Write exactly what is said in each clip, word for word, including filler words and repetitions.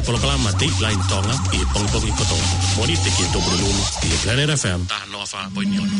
Polokalama Dateline Tonga ʻi he pongipongi kotoa. Mōnite ki he Tupulelulu ʻi he Planet F M. Taha noa fā poini ono.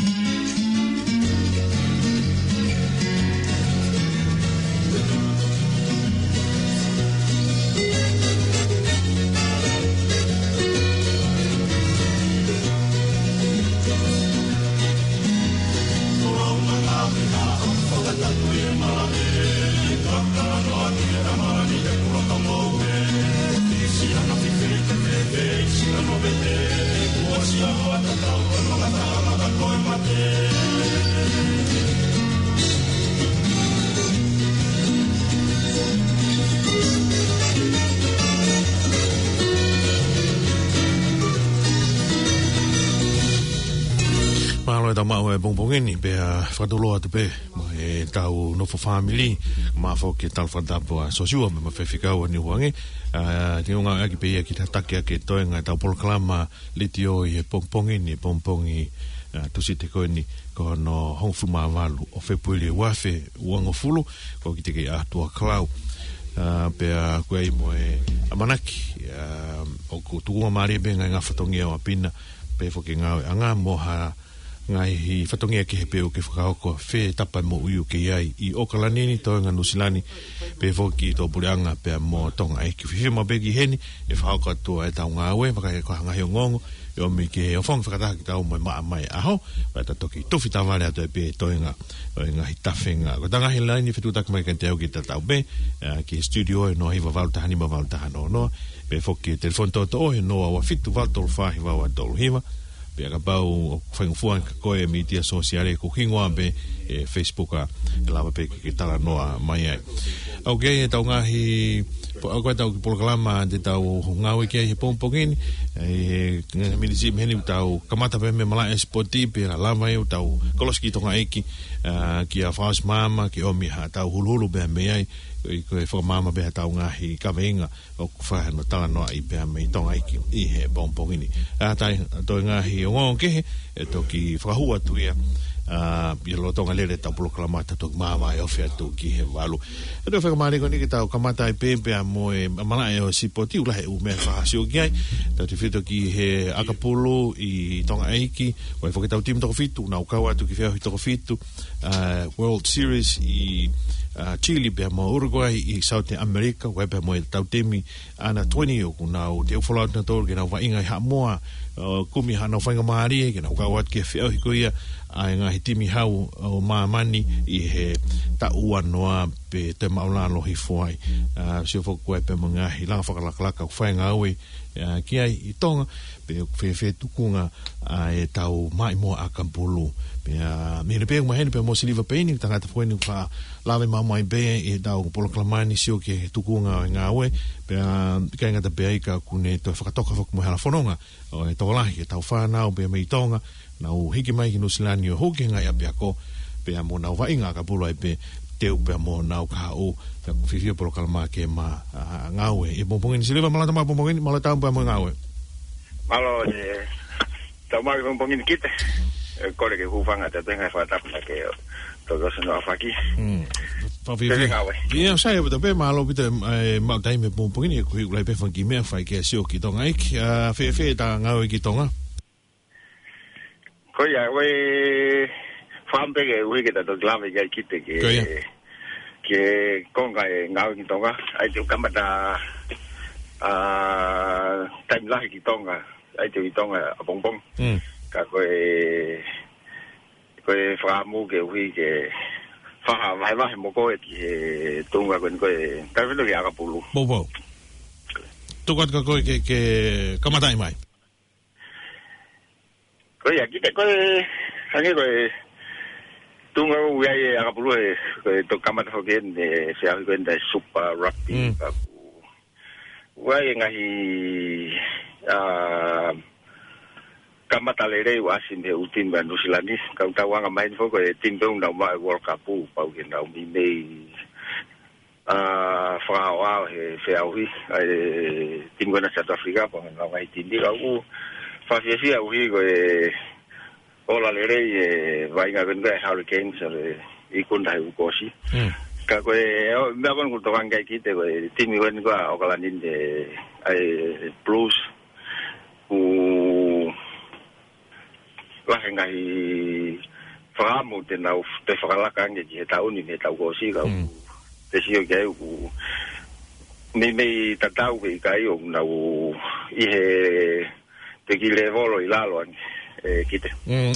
Mālō e tau maʻu e pongipongi ni, pea fakatulou atu pē mo e tau nofo fāmili, mo e foki e tau fakatapu ʻa Sosiua mo e faifekau ʻa Niuange. ʻA, te u ngāueʻaki pē ia ke tataki ʻaki e toenga e tau polokalama letiō ʻi he pongipongi ni, pongipongi, ʻa, Tūsite ko eni, ko hono hongofulu mā valu ʻo Fēpueli ua afe uangofulu, ko Kite kei ʻAtua Kalau. ʻA, pea ko e ʻai mo e ʻamanaki, ʻa, ʻoku tukuangamālie pē ngaahi ngaahi fatongia ʻo ʻapi na, pea foki e ngāueʻanga mo ha ngaahi fatongia kehe pē ʻoku ke fakahoko, fē tapa e moʻui ʻoku ke ʻi ai ʻi ʻOkalani ni, toenga Nuʻusila ni, pea foki ʻi tō puleʻanga pea mo Tonga ʻEiki. Fiefia maʻu pē ki heni, ʻe fakahoko atu ʻa e tau ngāue, vakai ko ha ngaahi ongoongo ʻe ʻomi ke ʻofongi fakataha kitaua mo e maʻa mai ʻaho, pea ta toki tufi tavale atu ai pē toenga ʻo e ngaahi tafenga. Ko e tau ngaahi laini fetuʻutaki mai kiate au ki he tatau pē, ʻa, ki he studio ʻe noa hiva valu taha nima valu taha noa noa, pea foki e telefoni toʻotoʻo ʻe noa ua fitu valu tolu fā hiva ua tolu hiva, pea kapau ʻoku faingofua ange kia koe e mītia sōsiale, ko e hingoa pē ʻe Facebook, ʻa, ʻe lava pē ke ke talanoa mai ai. ʻOku ʻi ai e tau ngaahi, po-, ʻoku ʻi ai e tau polokalama te tau ngāue ki ai he pongipongi ni, ʻi he ngaahi miniti mei heni ʻoku tau kamata pē mei he malaʻe sipoti, pea lava ai ʻo tau kolosi ki Tonga ʻEiki, ʻa, kia Faus Mama, ke ʻomi ha tau huluhulu pē mei ai, ʻi ko e fakamaama pē ha tau ngaahi kaveinga ʻoku fai hano talanoaʻi pea mei Tonga ʻEiki ʻi he pongipongi ni. ʻA, tai, toe ngaahi ongoongo kehe, ʻe toki fakahū atu ia, ʻa, ʻi he lolotonga lele e tau polokalama ta toki māvae ofi atu ki he valu. ʻE toe fakamālō ko eni ke tau kamata ai pē pea mo e malaʻe ʻo e sipoti, ʻoku lahi e ʻū meʻa ʻe fakasio ki ai. Tautefito ki he ʻakapulu ʻi Tonga ʻEiki, ʻoku ʻi ai foki e tau timi toko fitu, nau kau atu ki he feʻauhi toko fitu, ʻa, World Series ʻi, ʻa, Chile pea mo Uruguay ʻi South America, ʻoku ʻi ai pea mo e tau timi under twenty ʻoku nau teu folau atu nautolu ke nau vaʻinga ʻi Haʻamoa, ʻo kumi haʻanau faingamālie ke nau kau atu ki he feʻauhi ko ia ʻa e ngaahi timi hau ʻo māmani ʻi he taʻu ua noa pea toe māʻulalo hifo ai. ʻA, sio foki ko e pea mo e ngaahi langa fakalakalaka ʻoku fai e ngāue, ʻa, ki ai ʻi Tonga, pea ʻoku fēfē e tukunga ʻa e tau maʻimoa ʻakapulu. Pea, mei he pē ʻoku maheni pea mo Siliva Peini, tangata foʻi ni ʻoku faʻa lave maʻu mai pē ʻi he tau polokalama ni, sio ki he tukunga ʻo e ngāue, pea ʻikai ngata pē ai ka ʻoku ne toe fakatoka foki mo e hala fononga ʻo e tokolahi e tau fānau pea mei Tonga, nau hiki mai ki Nuʻusila ni ʻo hū ki he ngaahi ʻapiako, pea mo nau vaʻinga ʻakapulu ai pē, teu pea mo nau kahaʻu, pea ʻoku fiefia e polokalama ke ma, ʻa, ngāue ʻi he pongipongi ni. Siliva, mālō e tau maʻu e pongipongi ni, mālō e tau pea mo e ngāue. Mālō e tau maʻu e pongipongi ni Kite. ʻE kole ke u hūfanga atu he ngaahi fakatapu naʻa ke toki ʻosi hono ʻaofaki. Mm. Fēfē e ngāue? ʻIo, sai ʻaupito pē, mālō ʻaupito e, e maʻu taimi he pongipongi ni, ʻoku ʻikai lahi pē ha fanga kiʻi meʻa fai ke sio ki Tonga ʻEiki. ʻA, fēfē e tau ngāue ki Tonga? Ko ia, ʻoku ou fakaʻamu pē ke ʻuhi ke ta toki lave ki ai Kite ke, Ko ia. ke konga e ngāue ki Tonga. ʻAi te u kamata, ʻa, taimi lahi ki Tonga. ʻAi te u ʻi Tonga ʻapongipongi. Mm. Ka ko e, ko e fakaʻamu ke ʻuhi ke fai ha vahevahe mo koe ki he tuʻunga ko eni ko e taimi fino ki ʻakapulu. Poupou. Tuku atu kia koe ke, ke kamataʻi mai. Ko ia, Kite, ko e, hangē ko e tuʻunga ʻoku ʻi ai e ʻakapulu he, ko e toki kamata foki eni e feʻauhi ko eni e Super Rugby. Mm. Ka ʻoku ʻi ai e ngaahi, ʻa, kamata lelei ʻoku ʻasi mei he ʻū timi ʻa Nuʻusila ni, ka ʻoku tau anga maheni foki ko e timi pē ʻoku nau maʻu e World Cup, pau ke nau meimei ʻa, fakaʻaoʻao he feʻauhi, ʻa e timi ko ena South Africa, pea mo e ngaahi timi ka ʻoku fakafiefia ʻuhi ko e ola lelei e vaʻinga ko eni ko e Hurricanes, ʻa e ikuna he uike kuo ʻosi. Mm. Ka Ka ko e, ʻo, meʻa ko eni ʻoku tokanga ki ai Kite ko e timi ko eni ko ē ʻa ʻAokalani, ʻa e Blues. ʻOku lahi e ngaahi fakaʻamu te nau, te fakalaka ange ki he taʻu ni mei he taʻu kuo ʻosi ka ʻoku, te sio ki ai ʻoku meimei tatau pe ʻikai ʻoku nau ʻi he, pe ki he lēvolo ʻi lalo ange, ē, Kite. Mm.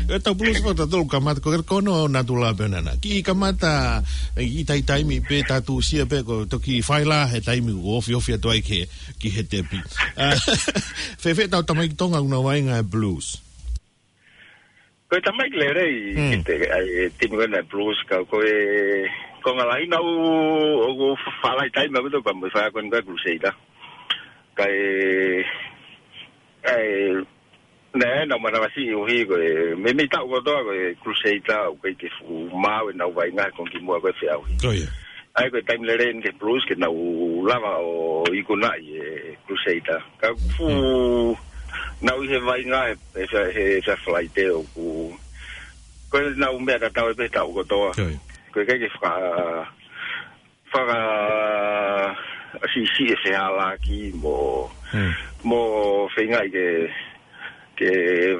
E tau Blues fakatatau kamata, ko e kono natula pē ʻena. Kiʻi kamata, ʻi taimi pē ta tuʻusia pē ko e toki faila he taimi ʻoku ofiofi atu ai ki he, ki he tepi. ʻA, fēfē tau tamaiki Tonga ʻoku nau vaʻinga he Blues? Ko e tamaiki lelei, Kite, ʻa e timi ko ena Blues ka ko e, ko e ngaahi lahi naʻa ʻoku fālahi taimi ʻaupito pea mo e fai ko eni ko e Crusader. Ka e, ʻa e, naʻe, naʻa nau manavasiʻi ʻuhi ko e, meimei taʻu kotoa ko e Crusader, ʻoku ʻikai ke fuʻu maau ʻenau vaʻinga he konga kimuʻa ko e feʻauhi. ʻA ia ko e taimi lelei eni ki he Blues ke nau lava ʻo ikunaʻi e Crusader. Ka fuʻu nau ʻi he vaʻinga he, he, he, he Falaite ʻoku, ko ʻenau meʻa tatau ē pē taʻu kotoa. Ko e ʻikai ke faka, faka, siʻisiʻi e fehālaaki mo, mo feingaʻi ke, ke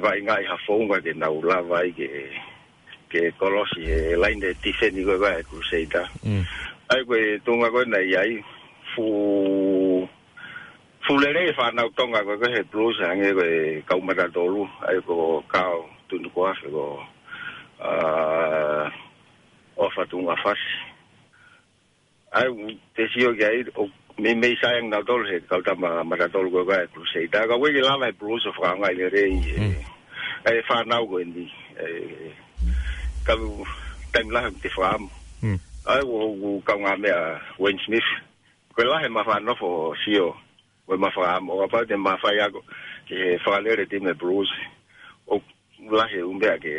vaʻingaʻi ha founga ke nau lava ai ke, ke kolosi he laine tifeni ko ē ʻa e Crusader. ʻA ia ko e tuʻunga ko ē naʻe ʻi ai, fuʻu, fuʻu lelei e fānau Tonga ko ē he Blues hangē ko e kau matatolu, ʻa ia ko Kao Tunukoafe ko, ʻa, ʻOfa Tuʻungafasi. ʻA ia, te sio ki ai, ʻoku meimei sai ange nautolu he kau tama matatolu ko ē ʻa e Crusader. Ka ʻoku ʻikai ke lava e Blues ʻo fakaʻaongaʻi lelei e, ʻa e fānau ko eni. ʻE, ka taimi lahi te fakaʻamu. ʻA ia, ʻoku, ʻoku kaungāmeʻa Wayne Smith. Ko e lahi ʻema fakanofo sio. Ko ʻema fakaʻamu, ʻo kapau te ma fai ako ke fakalele timi e Blues. ʻOku lahi e ʻū meʻa ke,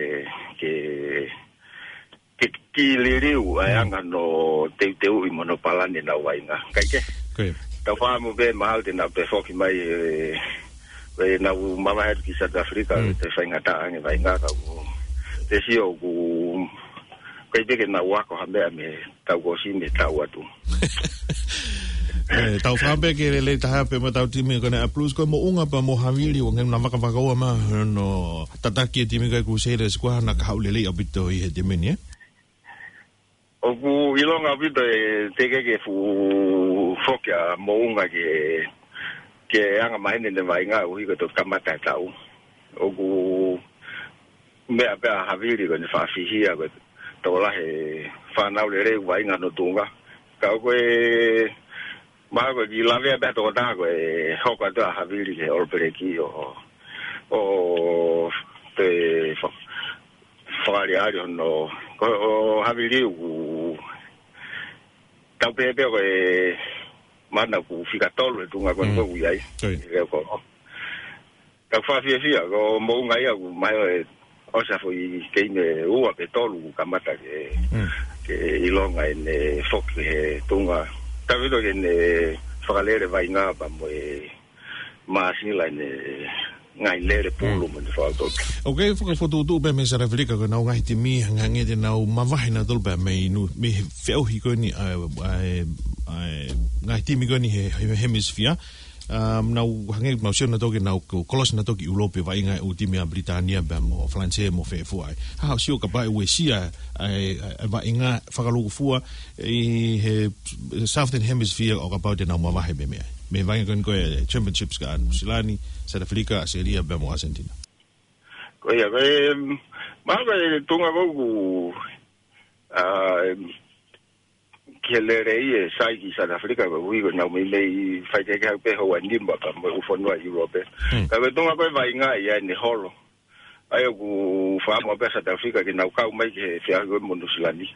ke, ke, ke liliu ʻa e anga hono teuteuʻi mo hono palani ʻenau vaʻinga. Kae kehe, tau fakaʻamu pē mahalo te nau toe foki mai e, ʻenau mavahe atu ki South Africa, te faingataʻa ange vaʻinga ka ʻoku, te sio ʻoku, ʻikai pē ke nau ako ha meʻa mei he taʻu kuo ʻosi mei he taʻu atu. ʻE, tau fakaʻamu pē ke lelei taha pē mo ʻetau timi ko ena ʻa e Blues, ko e moʻunga pea mo Havili, ʻoku nau vakavakaua mai hono tataki e timi ko ē Crusaders, ko e hā hano kahaʻu lelei ʻaupito ʻi he timi ni, ē? ʻOku ʻilonga ʻaupito ē, teʻeki ke fuʻu foki ʻa Moʻunga ke, ke anga maheni ʻene vaʻinga ʻuhi ko e toki kamata e taʻu. ʻOku meʻa pē ʻa Havili ko ʻene faʻa fihia ko e tokolahi e fānau lelei ʻoku vaʻinga hono tuʻunga. Ka ko e, mahalo ko e kiʻi lavea pē ʻa e tokotaha ko e hoko atu ʻa Havili ki he All Black ʻo, ʻo toe fa-, fakaʻaliʻali hono, ko, ʻo Havili ʻoku tau pehē pē ko e mana ʻoku fika tolu he tuʻunga ko eni ʻoku ʻi ai. He ko, ka ʻoku fakafiefia, ko Moʻunga ia ʻoku mahalo ʻe ʻosi ha foʻi keimi ʻe ua pe tolu ʻoku kamata ke, ke ʻilonga ʻene foki he tuʻunga. Tau ʻilo ke ne fakalele vaʻinga pea mo e māsila ʻene ngaahi lele pulu mo ʻene faʻa toto. ʻOku fokotuʻutuʻu pē mei South Africa ko ʻenau ngaahi timi hangē te nau mavahe nautolu pē mei nu-, mei he feʻauhi ko eni ʻa e, ʻa e, ʻa e ngaahi timi ko eni he, he hemisphere. Um, nau hangē nau sio nautolu ke nau ko-, kolosi nautolu ki ʻIulope vaʻinga e ʻū timi ʻa Pilitānia pea mo Falanisē mo fē fua ai. Hā hoʻo sio kapau ʻe uesia ʻa e, ʻa e vaʻinga fakalūkufua ʻi he Southern Hemisphere ʻo kapau te nau mavahe mei meʻa. Mei he vaʻinga ko eni ko e Championships ka ʻa Nuʻu Sila ni, South Africa, ʻAositelēlia pea mo Argentina. Ko ia, ko e, mahalo ko e tuʻunga ko ē ʻoku, ʻa, ki he lelei e sai ki South Africa, koeʻuhi ko ʻenau meimei faikehekehe pē houa nima pea mo e ʻū fonua ʻIulope. Ka ko e tuʻunga ko ē vaʻinga ia ʻene holo. ʻA ia ʻoku fakaʻamu pē ʻa South Africa ke nau kau mai ki he feʻauhi ko ē mo Nuʻu Sila ni.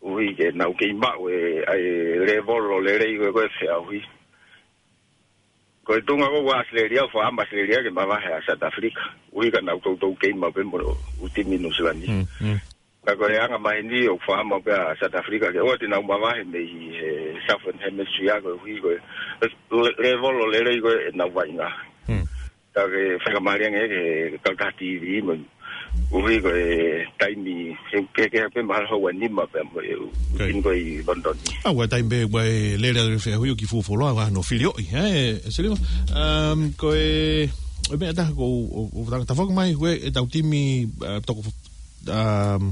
ʻUhi ke nau kei maʻu e, ʻa e lēvolo lelei ko ē ko e feʻauhi. Ko e tuʻunga ko ē ʻa ʻAositelēlia, ʻoku fakaʻamu ʻAositelēlia ke mavahe ʻa South Africa. ʻUhi ka nau toutou kei maʻu pē mo e ʻū timi Nuʻu Sila ni. Ka ko e anga maheni ʻoku fakaʻamu pē ʻa South Africa ke ʻoua te nau mavahe mei he Southern Hemisphere koeʻuhi ko e le-, lēvolo lelei ko ē ʻenau vaʻinga. Ka ke fakamālie ange ke kau taha TV mo ʻUhi ko e taimi, he, ke, ke, ke mahalo houa nima pea mo e, ʻuhi ko ē ʻi London. ʻA, ʻoku ʻi ai e taimi pē ʻoku ʻi ai e lele ʻa e feʻauhi ʻoku fuofua loa, ʻa hono filioʻi, ē, ʻe Siliva. Um, ko e, ʻo e meʻa ʻe taha ko, ʻo, ʻo, ʻo, tafoki mai, ko e, ʻetau timi, uh, toko, um,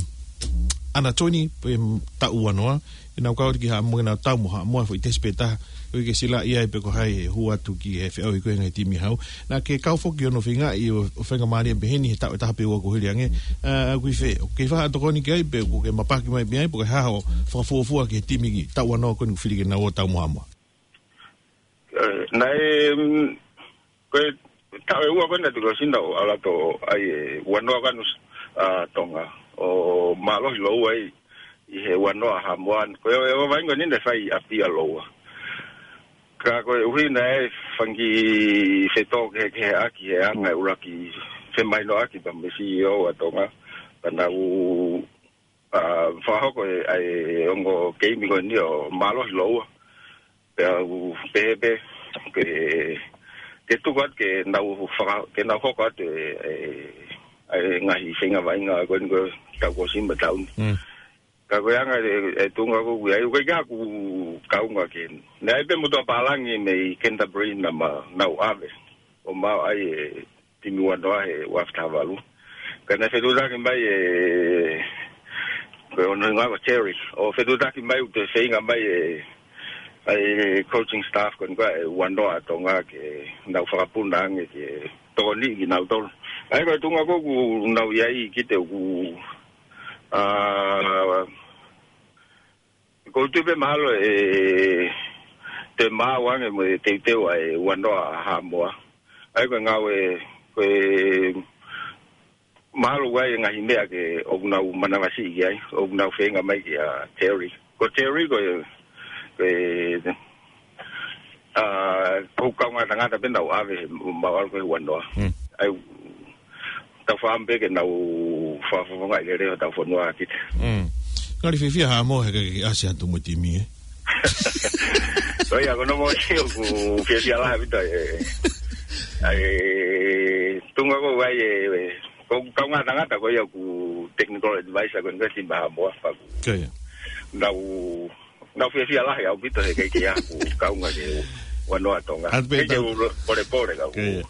under twenty, pe taʻu ua noa, ʻenau kau atu ki Haʻamoa, ʻenau tau mo Haʻamoa, foʻi tesi pē taha, ʻoku ʻikai ke silaʻi ai pe ko hai ʻe hū atu ki he feʻauhi ko ē ʻa e ngaahi timi hau. Naʻa ke kau foki ʻi hono feingaʻi ʻo, ʻo feinga mālie pehē ni he taʻu ʻe taha pē ua kuo hili ange. ʻA, ʻoku ʻi fē, ʻoku ke faʻa tokoni ki ai pe ʻoku ke mapaki mai pē ai, pe ko e hā hoʻo fakafuofua ki he timi ki taʻu ua noa ko eni ʻoku fili ke nau ō tau mo Haʻamoa? Ē, naʻe, mm, ko e taʻu ʻe ua ko ē naʻe tuku ʻo sina ʻo ʻalu atu ai e ua noa ko ē ʻa Nusi-, ʻa Tonga. ʻO mālohi lōua ai ʻi he ua noa ʻa Haʻamoa. Ko e, ʻo e vainga ni naʻe fai ʻi ʻApia lōua. Ka koeʻuhi naʻe fanga kiʻi fetōkehekeheʻaki he anga e ʻuluaki femahinoʻaki pea mo e C E O ʻa Tonga. Pea nau, ʻa, fakahoko e, ʻa e ongo keimi ko eni ʻo mālohi lōua. Pea u pehē pē, ke, ke tuku atu ke nau faka-, ke nau hoko atu e, e, e ngaahi feinga vainga ko eni ko e taʻu kuo ʻosi mo e taʻu ni. Mm. Ka ko e anga e, e tuʻunga ko ē ʻoku ʻi ai, ʻoku ʻikai ke u kaunga ki heni. Naʻe ʻi ai pē motuʻa pālangi mei Canterbury naʻa ma-, nau ʻave ʻo maʻu ai e timi ua noa he ua afe taha valu. Ka naʻe fetuʻutaki mai e, ko hono hingoa ko Terry. ʻO fetuʻutaki mai ʻo toe feinga mai e, ʻa e coaching staff ko eni ko ē ʻa e ua noa ʻa Tonga ke nau fakapuna ange ke tokoniʻi kinautolu. ʻA ia ko e tuʻunga ko ē ʻoku nau ʻi ai, ʻikai ke u, ʻa, ʻoku ou tui pē mahalo ʻe toe maau ange mo e teuteu ʻa e ua noa ʻa Haʻamoa. ʻA ia ko e ngāue, ko e mahalo ʻoku ʻi ai e ngaahi meʻa ke ʻoku nau manavasiʻi ki ai, ʻoku nau feinga mai kia Terry. Ko Terry ko e, ko e, ʻa, ko e kaungā tangata pē naʻa nau ʻave, maʻu ʻalu ko ē he ua noa. Mm. ʻA ia, tau fakaʻamu pē ke nau fakafofongaʻi lelei hotau fonua kita. Mm. Ngali fiefia Haʻamoa he ʻikai ke ʻasi atu mo e timi, ē? Ko ia, ko hono moʻoni ʻoku fiefia lahi ʻaupito, ē. ʻA e tuʻunga ko ē ʻoku ʻi ai e, e, ko e kaungā tangata ko ia ʻoku technical advisor ko eni ko ē timi Haʻamoa, pea ʻoku. Ko ia. Nau, nau fiefia lahi ʻaupito he ʻikai ke ʻi ai haku kaunga ki he ua noa ʻa Tonga. ʻAtu pē ʻikai ke tau u lo-, polepole ka ʻoku. Ko ia.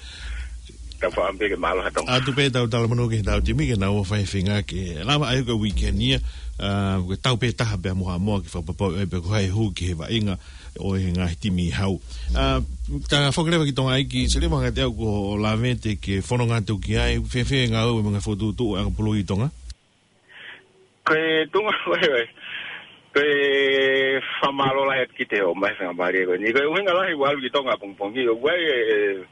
Tau fakaʻamu pē ke mālohi ʻa Tonga. ʻAtu pē ʻetau talamonū ki heʻetau timi ke nau ō ʻo fai e feinga ke lava ai ko e weekend ia, ʻa, ko e tau pē taha pē mo Haʻamoa ke fakapapauʻi ai pe ko hai ʻe hū ki he vaʻinga ʻo e ngaahi timi hau. ʻA, tafoki leva ki Tonga ʻEiki Siliva, hangē ko hoʻo lavete ke fononga atu ki ai, fēfē e ngāue mo e ngaahi fokotuʻutuʻu ʻa e ʻakapulu ʻi Tonga? Ko e tuʻunga ko ē, ko e fakamālō lahi atu ki he ō mai feinga mālie ko eni. Ko e ʻuhinga lahi ʻeku ʻalu ki Tonga ʻapongipongi, ʻoku ʻi ai e, e,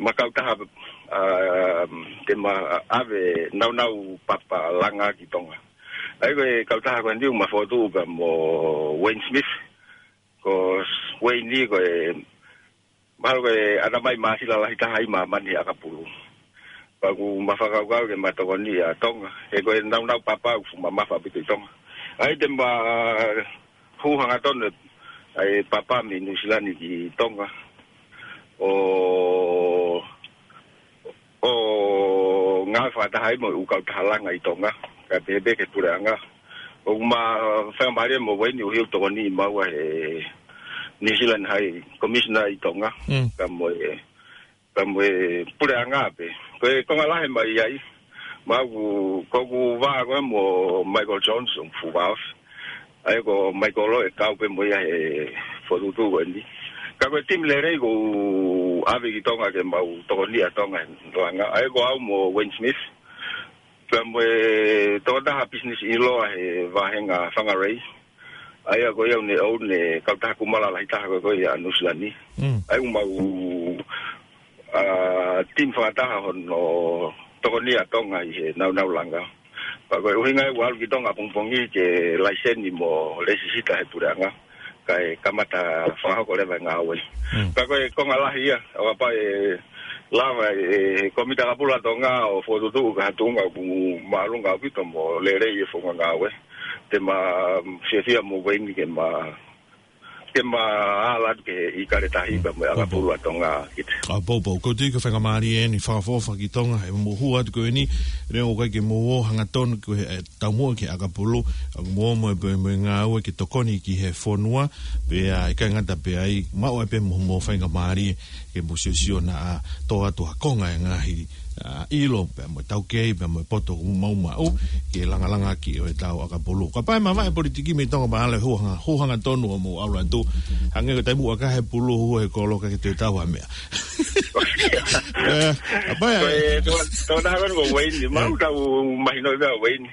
ma kautaha, ʻa, te ma ʻave naunau papa langa ki Tonga. ʻA ia ko e kautaha ko eni ʻoku ma fokotuʻu pea mo Wayne Smith. Ko Wayne ni ko e, mahalo ko e ʻatamai māsila lahi taha ʻi māmani he ʻakapulu. Pea ʻoku ma fakakaukau ke ma tokoniʻi ʻa Tonga. He ko e naunau papa ʻoku fuʻu mamafa ʻaupito ʻi Tonga. ʻA ia te ma hū hangatonu ʻa e papa mei Nuʻu Sila ni ki Tonga. ʻO, ʻo ngāue fakataha ai mo e ʻū kautaha langa ʻi Tonga, kae pehē pē ki he puleʻanga. ʻOku ma feinga mālie mo Wayne ʻuhi ʻoku tokoniʻi maua he New Zealand High Commissioner ʻi Tonga. Mm. Pea mo e, pea mo e puleʻanga pē. Ko e konga lahi ʻoku ma ʻi ai, ma ʻoku, ko ʻeku vā ko ē mo Michael Jones, ʻoku fuʻu vāofi. ʻA ia ko Michael ʻe kau pē mo ia he fokotuʻutuʻu ko eni. Ka ko e timi lelei ʻoku ou ʻave ki Tonga ke mau tokoniʻi ʻa Tonga he langa. ʻA ia ko au mo Wayne Smith. Pea mo e tokotaha pisinisi ʻiloa he vāhenga Whangarei. ʻA ia ko ia ʻoku ne ʻouna e kautaha kumala lahi taha ko ē ʻa Nuʻu Sila ni. Mm. ʻA ia ʻoku mau, ʻa, timi fakataha hono tokoniʻi ʻa Tonga ʻi he naunau langa. Pea ko e ʻuhinga ia ʻeku ʻalu ki Tonga ʻapongipongi ke laiseni mo lēsisita he puleʻanga. Kae kamata fakahoko leva e ngāue. Mm. Pea ko e konga lahi ia, ʻo kapau ʻe lava e Kōmiti ʻAkapulu ʻa Tonga ʻo fokotuʻutuʻu ki ha tuʻunga ʻoku māʻolunga ʻaupito mo lelei e founga ngāue, te ma fiefia mo Wayne ke ma ke ma ala atu ki he ʻIkale Tahi pea mo e ʻakapulu ʻa Tonga, Kite. ʻA, poupou, ʻoku ou tui ko e faingamālie eni fakaʻofoʻofa ki Tonga, he mou hū atu ko eni, neongo ʻoku ʻikai ke mou ō hangatonu ki he, ʻe, taumuʻa ki he ʻakapulu, ʻoku mou ō mo e, mo e ngāue ke tokoni ki he fonua, pea ʻikai ngata pē ai, maʻu ai pē mo, mo e faingamālie, ke mou siosio naʻa tō atu ha konga e ngaahi, ʻa, ʻilo, pea mo e taukei, pea mo e poto ʻoku mou maʻu, ke langalanga ki ʻo e tau ʻakapulu. Kapau ʻe mavahe politiki mei Tonga, mahalo ʻe hū hanga, hū hangatonu ʻo mou ʻalu atu. Hangē ko e taimi ʻoku ʻikai ha pulu hū he kolo ka ke toe tau ha meʻa. ʻE, kapau ʻe Ko e, tō, tō na ko Ueini, maʻu tau mahino pē ʻa Ueini.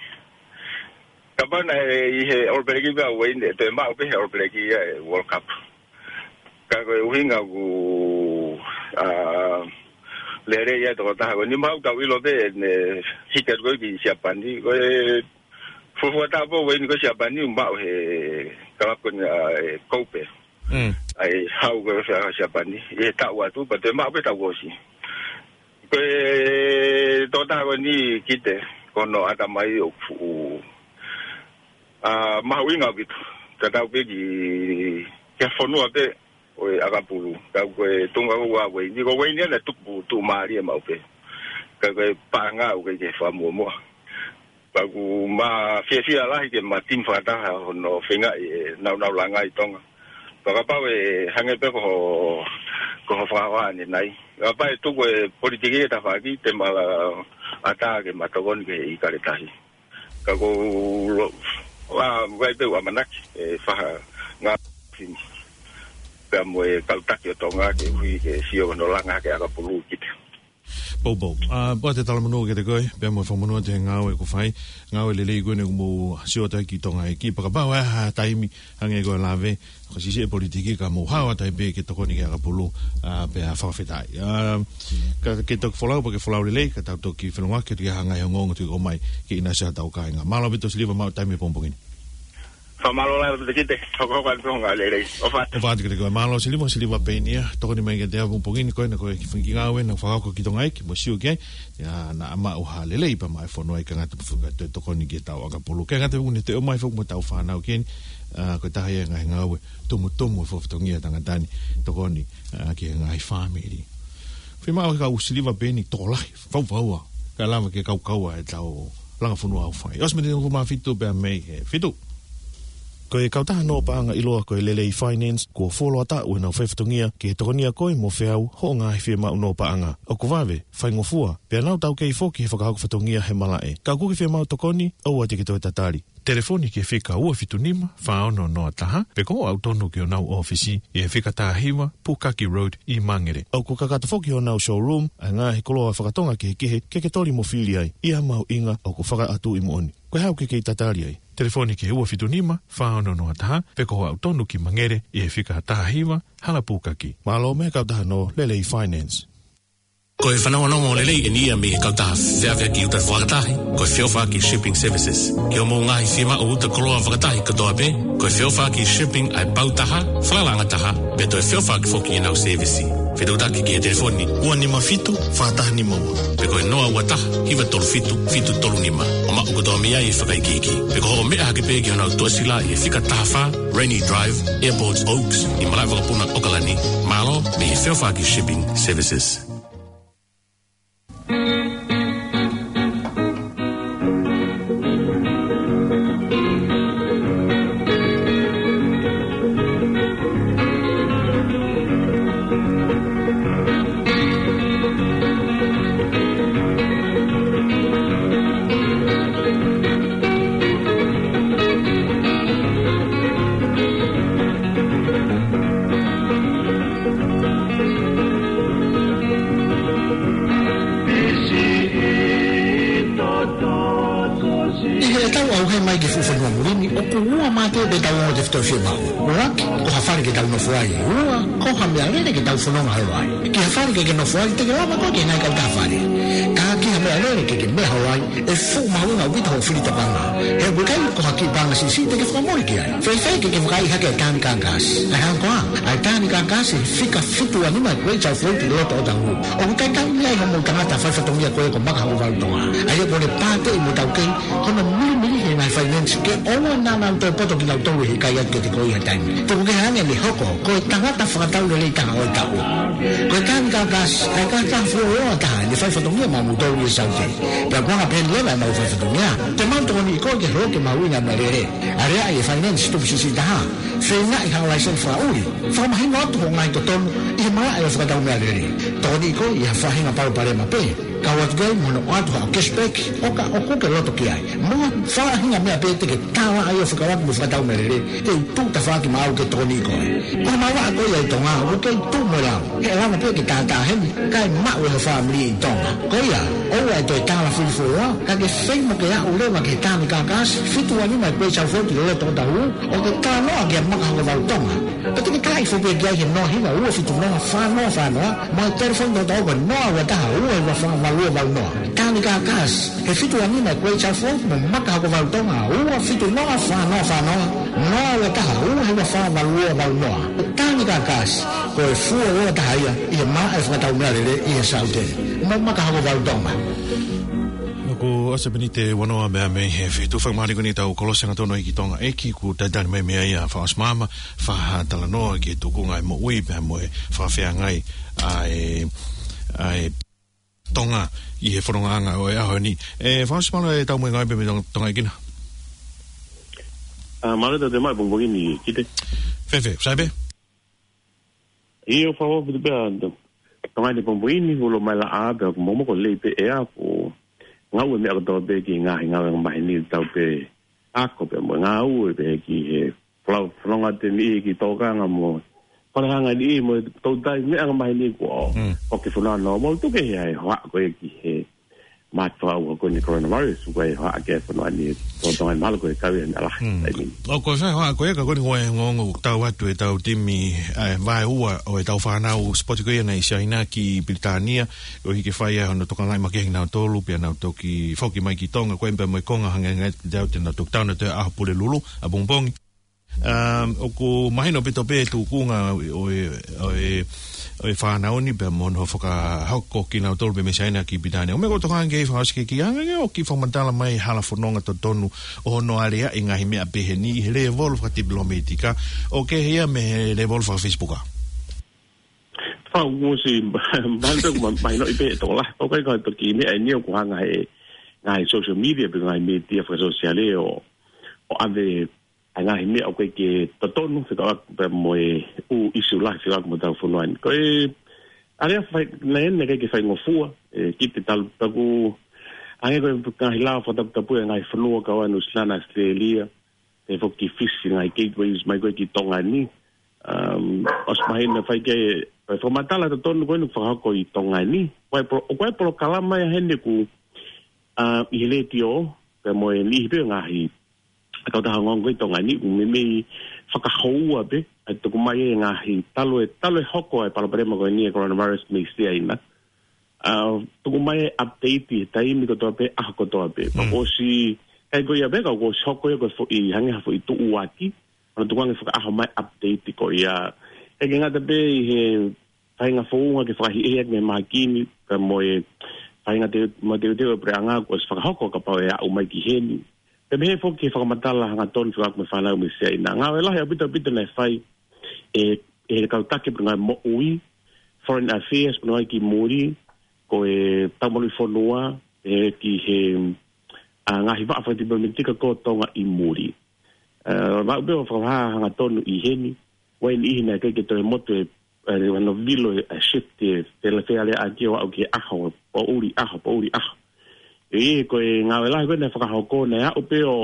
Kapau naʻe ʻi he All Black pē ʻa Ueini, ʻe toe maʻu pē he All Black ia e World Cup. Ka ko e ʻuhinga ʻoku, ʻa, lelei ia e tokotaha ko eni, mahalo ʻoku tau ʻilo pē ʻene hiki atu ko ē ki Siapani. Ko e fuofua taʻu pē ʻo Ueini ko Siapani, maʻu he kalapu ko eni ʻa e Kobe. ʻA e hau ko ē ʻa Siapani, ʻi he taʻu atu, pea toe maʻu pē taʻu ʻosi. Ko e tokotaha ko eni, Kite, ko hono ʻatamai ʻoku fuʻu, ʻa, mahuʻinga ʻaupito. Tatau pē ki, ki he fonua pē ʻo e ʻakapulu. Ka ko e tuʻunga ko ē ʻa Ueini, ko Ueini ia naʻe tuku tuʻumālie maʻu pē. Ka ko e paʻanga ʻoku ʻikai ke fakamuʻomuʻa. Pea ʻoku ma fiefia lahi ke ma timi fakataha hono feingaʻi e naunau langa ʻi Tonga. Pea kapau ʻe hangē pē ko ho, ko ho fakahoa ʻanenai. Kapau ʻe tuku e politiki e tafaʻaki, te ma ʻatā ke ma tokoni ki he ʻIkale Tahi. Ka ʻoku ou lo-, ʻa, ʻoku ʻi ai pē ʻeku ʻamanaki, ʻe fai ha ngāue fini. Pea mo e kau taki ʻo Tonga ke ui ke sio hono langa hake ʻakapulu, Kite. Poupou. ʻA, pea ʻoatu e talamonū kiate koe, pea mo e fakamonū atu he ngāue ʻoku fai, ngāue lelei ko eni ʻoku mou sio atu ai ki Tonga ʻEiki. Pea kapau ʻe ʻi ai ha taimi, hangē ko e lave, ko e siʻisiʻi e politiki ka mou haʻu atu ai pē ke tokoni ki he ʻakapulu, ʻa, pea fakafetaʻi. ʻA, ka ke toki folau, pea ke folau lelei, ka tau toki felongoaki atu ki ha ngaahi ongoongo tuʻu ʻo mai, ke ʻinasi hotau kāinga. Mālō ʻaupito Siliva maʻu taimi he pongipongi ni. Fakamālō lahi ʻaupito Kite, hokohoko atu pē hoʻo ngāue lelei. ʻOfa atu. ʻOfa atu kiate koe. Mālō Siliva, Siliva Penia, tokoni mai kiate au he pongipongi ni, ko ena ko e kiʻi fanga kiʻi ngāue naʻa ku fakahoko ki Tonga ʻEiki, mou sio ki ai, ʻa, naʻa maʻu ha lelei pea maʻu e fono ai, ʻikai ngata pē foki ka toe tokoni ki he tau ʻakapulu. ʻIkai ngata pē ʻoku ne toe ʻomai foki mo e tau fānau ki heni, ʻa, ko e taha ia e ngaahi ngāue tumutumu e fakafatongia ʻa e tangata ni, tokoni, ʻa, ki he ngaahi fāmili. Fiemaʻu ʻe he kau Siliva Penia tokolahi, faufaua, kae lava ke kaukaua e tau langa fonua ʻoku fai. ʻOsi mei he tenga fitu pea mei he fitu. Ko e kautaha nō paʻanga ʻiloa ko e Lelei Finance, kuo fuoloa taʻu ʻenau faifatongia ki he tokonia koe mo feau hoʻo ngaahi fiemaʻu nō paʻanga. ʻOku vave, faingofua, pea nau taukei foki he fakahoko fatongia he malaʻe. Ka ʻoku ke fiemaʻu tokoni, ʻoua te ke toe tatali. Telefoni ki he fika ua fitu nima, fā ono noa taha, pe ko hoʻo aʻu tonu ki honau ʻōfisi, ʻi he fika taha hiva, Pukaki Road, ʻi Mangere. ʻOku kakato foki honau showroom, ʻa e ngaahi koloa fakatonga kehekehe, ke ke toli mo fili ai, ʻi ha mahuʻinga ʻoku fakaʻatuʻi moʻoni. Ko e hā ʻoku ke kei tatali ai? Telefoni ki he ua fitu nima, fā ono noa taha, pe ko hoʻo aʻu tonu ki Mangere, ʻi he fika taha hiva, Hala Pukaki. Mālō mei he kautaha nō Lelei Finance. Ko e fanongonongo lelei eni ia mei he kautaha feʻaveʻaki uta fakatahi, ko e Feʻofaʻaki Shipping Services. Ki hoʻomou ngaahi fiemaʻu uta koloa fakatahi kotoa pē, ko e Feʻofaʻaki Shipping ʻa e pau taha, falalaʻanga taha, pea toe feʻofaʻaki foki ʻenau sēvisi. Fetuʻutaki ki he telefoni ua nima fitu, fā taha nima ua, pe ko e noa ua taha, hiva tolu fitu, fitu tolu nima. ʻO maʻu kotoa mei ai e fakaikiiki. Pe ko hoʻo meʻa hake pē ki honau tuʻasila ʻi he fika taha fā, Rainy Drive, Airport Oaks, ʻi malaʻe vakapuna ʻOkalani. Mālō mei he Feʻofaʻaki Shipping Services. ʻI heʻetau ʻauhē mai ki he fuʻu fonua muli ni, ʻoku ua mā te pē ʻetau ongo tefitoʻi fiemaʻu. ʻUluaki, ko ha fale ke tau nofo ai. Ua, ko ha meʻalele ke tau fononga holo ai. Ki ha fale ke ke nofo ai, te ke lava koe ke ngai kau taha fale. Ka ki ha meʻalele ke ke meʻa holo ai, ʻe fuʻu mahuʻinga ʻaupito hoʻo fili tokanga. He ʻoku ʻikai ko ha kiʻi paʻanga siʻisiʻi te ke fakamole ki ai. Fēfē ke ke vakaiʻi hake e tānaka ʻo e kangakasi? ʻA e hā koā, ʻa e tānaka ʻo e kangakasi, fika fitu ua nima Great South Road ʻi loto ʻOtahuhu. ʻOku kaikaila ai hoʻomou tangata faifatongia ko ē ko Maka Hokovalu Tonga. ʻA ia ʻoku ne pāteʻi mo taukei hono milimili Ngaahi finance ke ʻoua naʻa nau toe poto kinautolu he ʻikai atu kiate koe ha taimi. Tuku kehe ange ʻene hoko ko e tangata fakatau lelei taha ʻo e taʻu. Ko e Tanganyika Gas, ʻa e kākā fuoloa taha ʻene fai fatongia maʻamoutolu ʻi Saute. Pea ko e anga pē ʻeni leva ʻemau fai fatongia, te mau tokoniʻi koe ke hoko ke mahuʻinga meʻalele. Aleaʻi e finance tupu siʻisiʻi taha. Feingaʻi ha laiseni fakaʻuli. Fakamahino atu hoʻo ngaahi totonu ʻi he malaʻe ʻo e fakatau meʻalele. Tokoniʻi koe ʻi ha faʻahinga palopalema pē. Kau atu ki ai mo hono ʻoatu haʻo cashback, ʻo ka ʻoku ke loto ki ai. Mo ha faʻahinga meʻa pē te ke tālaʻa ai ʻo fekauʻaki mo e fakatau meʻalele, te u tuʻu tafaʻaki maʻau ke tokoniʻi koe. Ko e mavaʻa ko ia ʻi Tonga, ʻoku kei tuʻu mo e lau. He ʻe lava pē ke tātā heni, kae maʻu ʻe he fāmili ʻi Tonga. Ko ia, ʻoua ʻe toe tālafili fuoloa, ka ke feinga ke aʻu leva ki he Tanganyika Gas, fitu ua nima Great South Road ʻi Loloto ʻo Otahuhu, ʻo ke talanoa kia Maka Hokovalu Tonga. Pea te ke taaʻi foki pē ki ai he noa hiva ua fitu noa fā noa fā noa, mo e telefoni toko taha ko e noa ua taha ua hiva fā valu ua valu noa. Tanganyika Gas, he fitu ua nima Great South Road mo Maka Hokovalu Tonga, ua fitu noa fā noa fā noa, noa ua taha ua hiva fā valu ua valu noa. Tanganyika Gas, ko e fuoloa taha ia ʻi he malaʻe fakatau meʻalele ʻi he Saute. Mo Maka Hokovalu Tonga. ʻOku ʻosi e miniti ʻe uanoa mei he fitu. Fakamālō ʻaupito ʻetau kolosi hangatonu ʻi Tonga ʻEiki, kuo talitali mai mei ai ʻa Faʻaʻosi Maama, fai ha talanoa ki he tukunga ʻo e moʻui pea mo e fakafeangai ʻa e, ʻa e Tonga ʻi he fonongaʻanga ʻo e ʻaho ni. ʻE Faʻaʻosi, mālō e tau mo e ngāue pē mei Tonga, Tonga ʻEiki na. ʻA, mālō e tau te mai pongipongi ni, Kite. Fēfē, sai pē? ʻIo, fakaʻofoʻofa atu pē ʻa Tonga ʻi he pongipongi ni, ulo mai laʻā pē ʻoku momoko lelei pē ʻea, ko e ngāue meʻa kotoa pē ki he ngaahi ngāue angamaheni, tau pē ako pē mo e ngāue pē ki he folau, fononga atu eni ki tōkanga mo e fale hanga ni mo e toutai meʻa angamaheni kuo Mm. ʻoku ke fononga mo tuku kehe ai e hohaʻa ko ē ki he mātuʻa ua ko eni coronavirus, ʻoku ʻi ai e hohaʻa ki he fonua ni, ko Tonga ni mahalo ko e kau ia ni ala. Mm. Taimi ni. ʻOku ʻi ai e hohaʻa ko ē ka ko eni ko e ongoongo ʻoku tau atu ʻetau timi, ʻa e vaeua ʻo ʻetau fānau sipoti ko ia naʻe ʻi Siaina ki Pilitānia, ʻo hiki fai ai hono tokangaʻi makehe kinautolu, pea nau toki foki mai ki Tonga, ko e pea mo e konga hangē hangē te au te nau toki tau na te ʻaho Pulelulu, ʻapongipongi. Um, ʻoku mahino ʻaupito pē e tukunga ʻo e, ʻo e, ʻo e fānau ni pea mo hono fakahoko kinautolu pē mei Siaina ki Pilitānia. ʻO meʻa ko e tokanga ki ai Faʻaʻosi ke kiʻi hanga ʻo kiʻi fakamatala mai hala fononga totonu ʻo hono aleaʻi e ngaahi meʻa pehē ni he lēvolo fakatipilōmētika ʻo kehe ia mei he lēvolo faka-Facebook. Fau musi, mahalo ma-, mahino ʻi pē e tola. ʻOku ʻikai ko e toki meʻa eni ʻoku hanga he ngaahi social media pe ngaahi media fakasōsiale ʻo, ʻo ʻave ʻa e ngaahi meʻa ʻoku ʻikai ke totonu, fekauʻaki pea mo e ʻū ʻisiū lahi fekauʻaki mo hotau fonua ni. Ko e aleaʻi fai, naʻe ʻikai ke faingofua, ʻe Kite, talu taku, hangē ko e ngaahi lao fakataputapu ʻa e ngaahi fonua kau ai Nuʻusila na, ʻAositelēlia, pehē foki ki Fisi, ngaahi gateways mai ko ē ki Tonga ni. Um, ʻosi mahino fai ke, ʻa e fakamatala totonu ko eni ʻoku fakahoko ʻi Tonga ni. Ko e polo-, ko e polokalama ia heni ʻoku, uh, ʻi he letiō, pea mo e niʻihi pē ngaahi ʻa e kautaha ongoongo ʻi Tonga ni, ʻoku meimei fakahoua pē, ʻa e tuku mai e ngaahi talu e, talu e hoko ʻa e palopalema ko eni ʻa e coronavirus mei Siaina. ʻA, tuku mai e update he taimi kotoa pē, ʻaho kotoa pē. Mm. Pea ʻosi, ʻikai ko ia pē ka ʻoku ʻosi hoko ia ko e foʻi, hangē ha foʻi tuʻuaki, ʻa e tukuange fakaʻaho mai update ko ia. ʻIkai ke ngata pē ʻi he faʻahinga founga ke fakahiʻehiʻaki mei he mahaki ni, pea mo e faʻahinga te-, mo e teuteu ʻa e puleʻanga kuo ʻosi fakahoko kapau ʻe aʻu mai ki heni. Pea pehē foki ki he fakamatala hangatonu fekauʻaki mo e fānau mei Siaina. Ngāue lahi ʻaupito ʻaupito naʻe fai ʻe, ʻe he kau taki pea mo e ngaahi moʻui, Foreign Affairs pea mo e ngaahi ki muli, ko e tau maluʻi fonua, ʻe ki he, ʻa, ngaahi vaʻa fakadipilōmētika ko Tonga ʻi muli. ʻE, maʻu pē ʻo fakahā hangatonu ʻi heni, ʻoku ʻi ai e niʻihi naʻe ʻikai ke toe motu e, ʻe, hono vilo e, ʻa e shift e, fela fea lea ʻaki ʻo aʻu ki he ʻaho, poʻuli ʻaho, poʻuli ʻaho. ʻE, ko e ngāue lahi ko ē naʻe fakahoko naʻe aʻu pē ʻo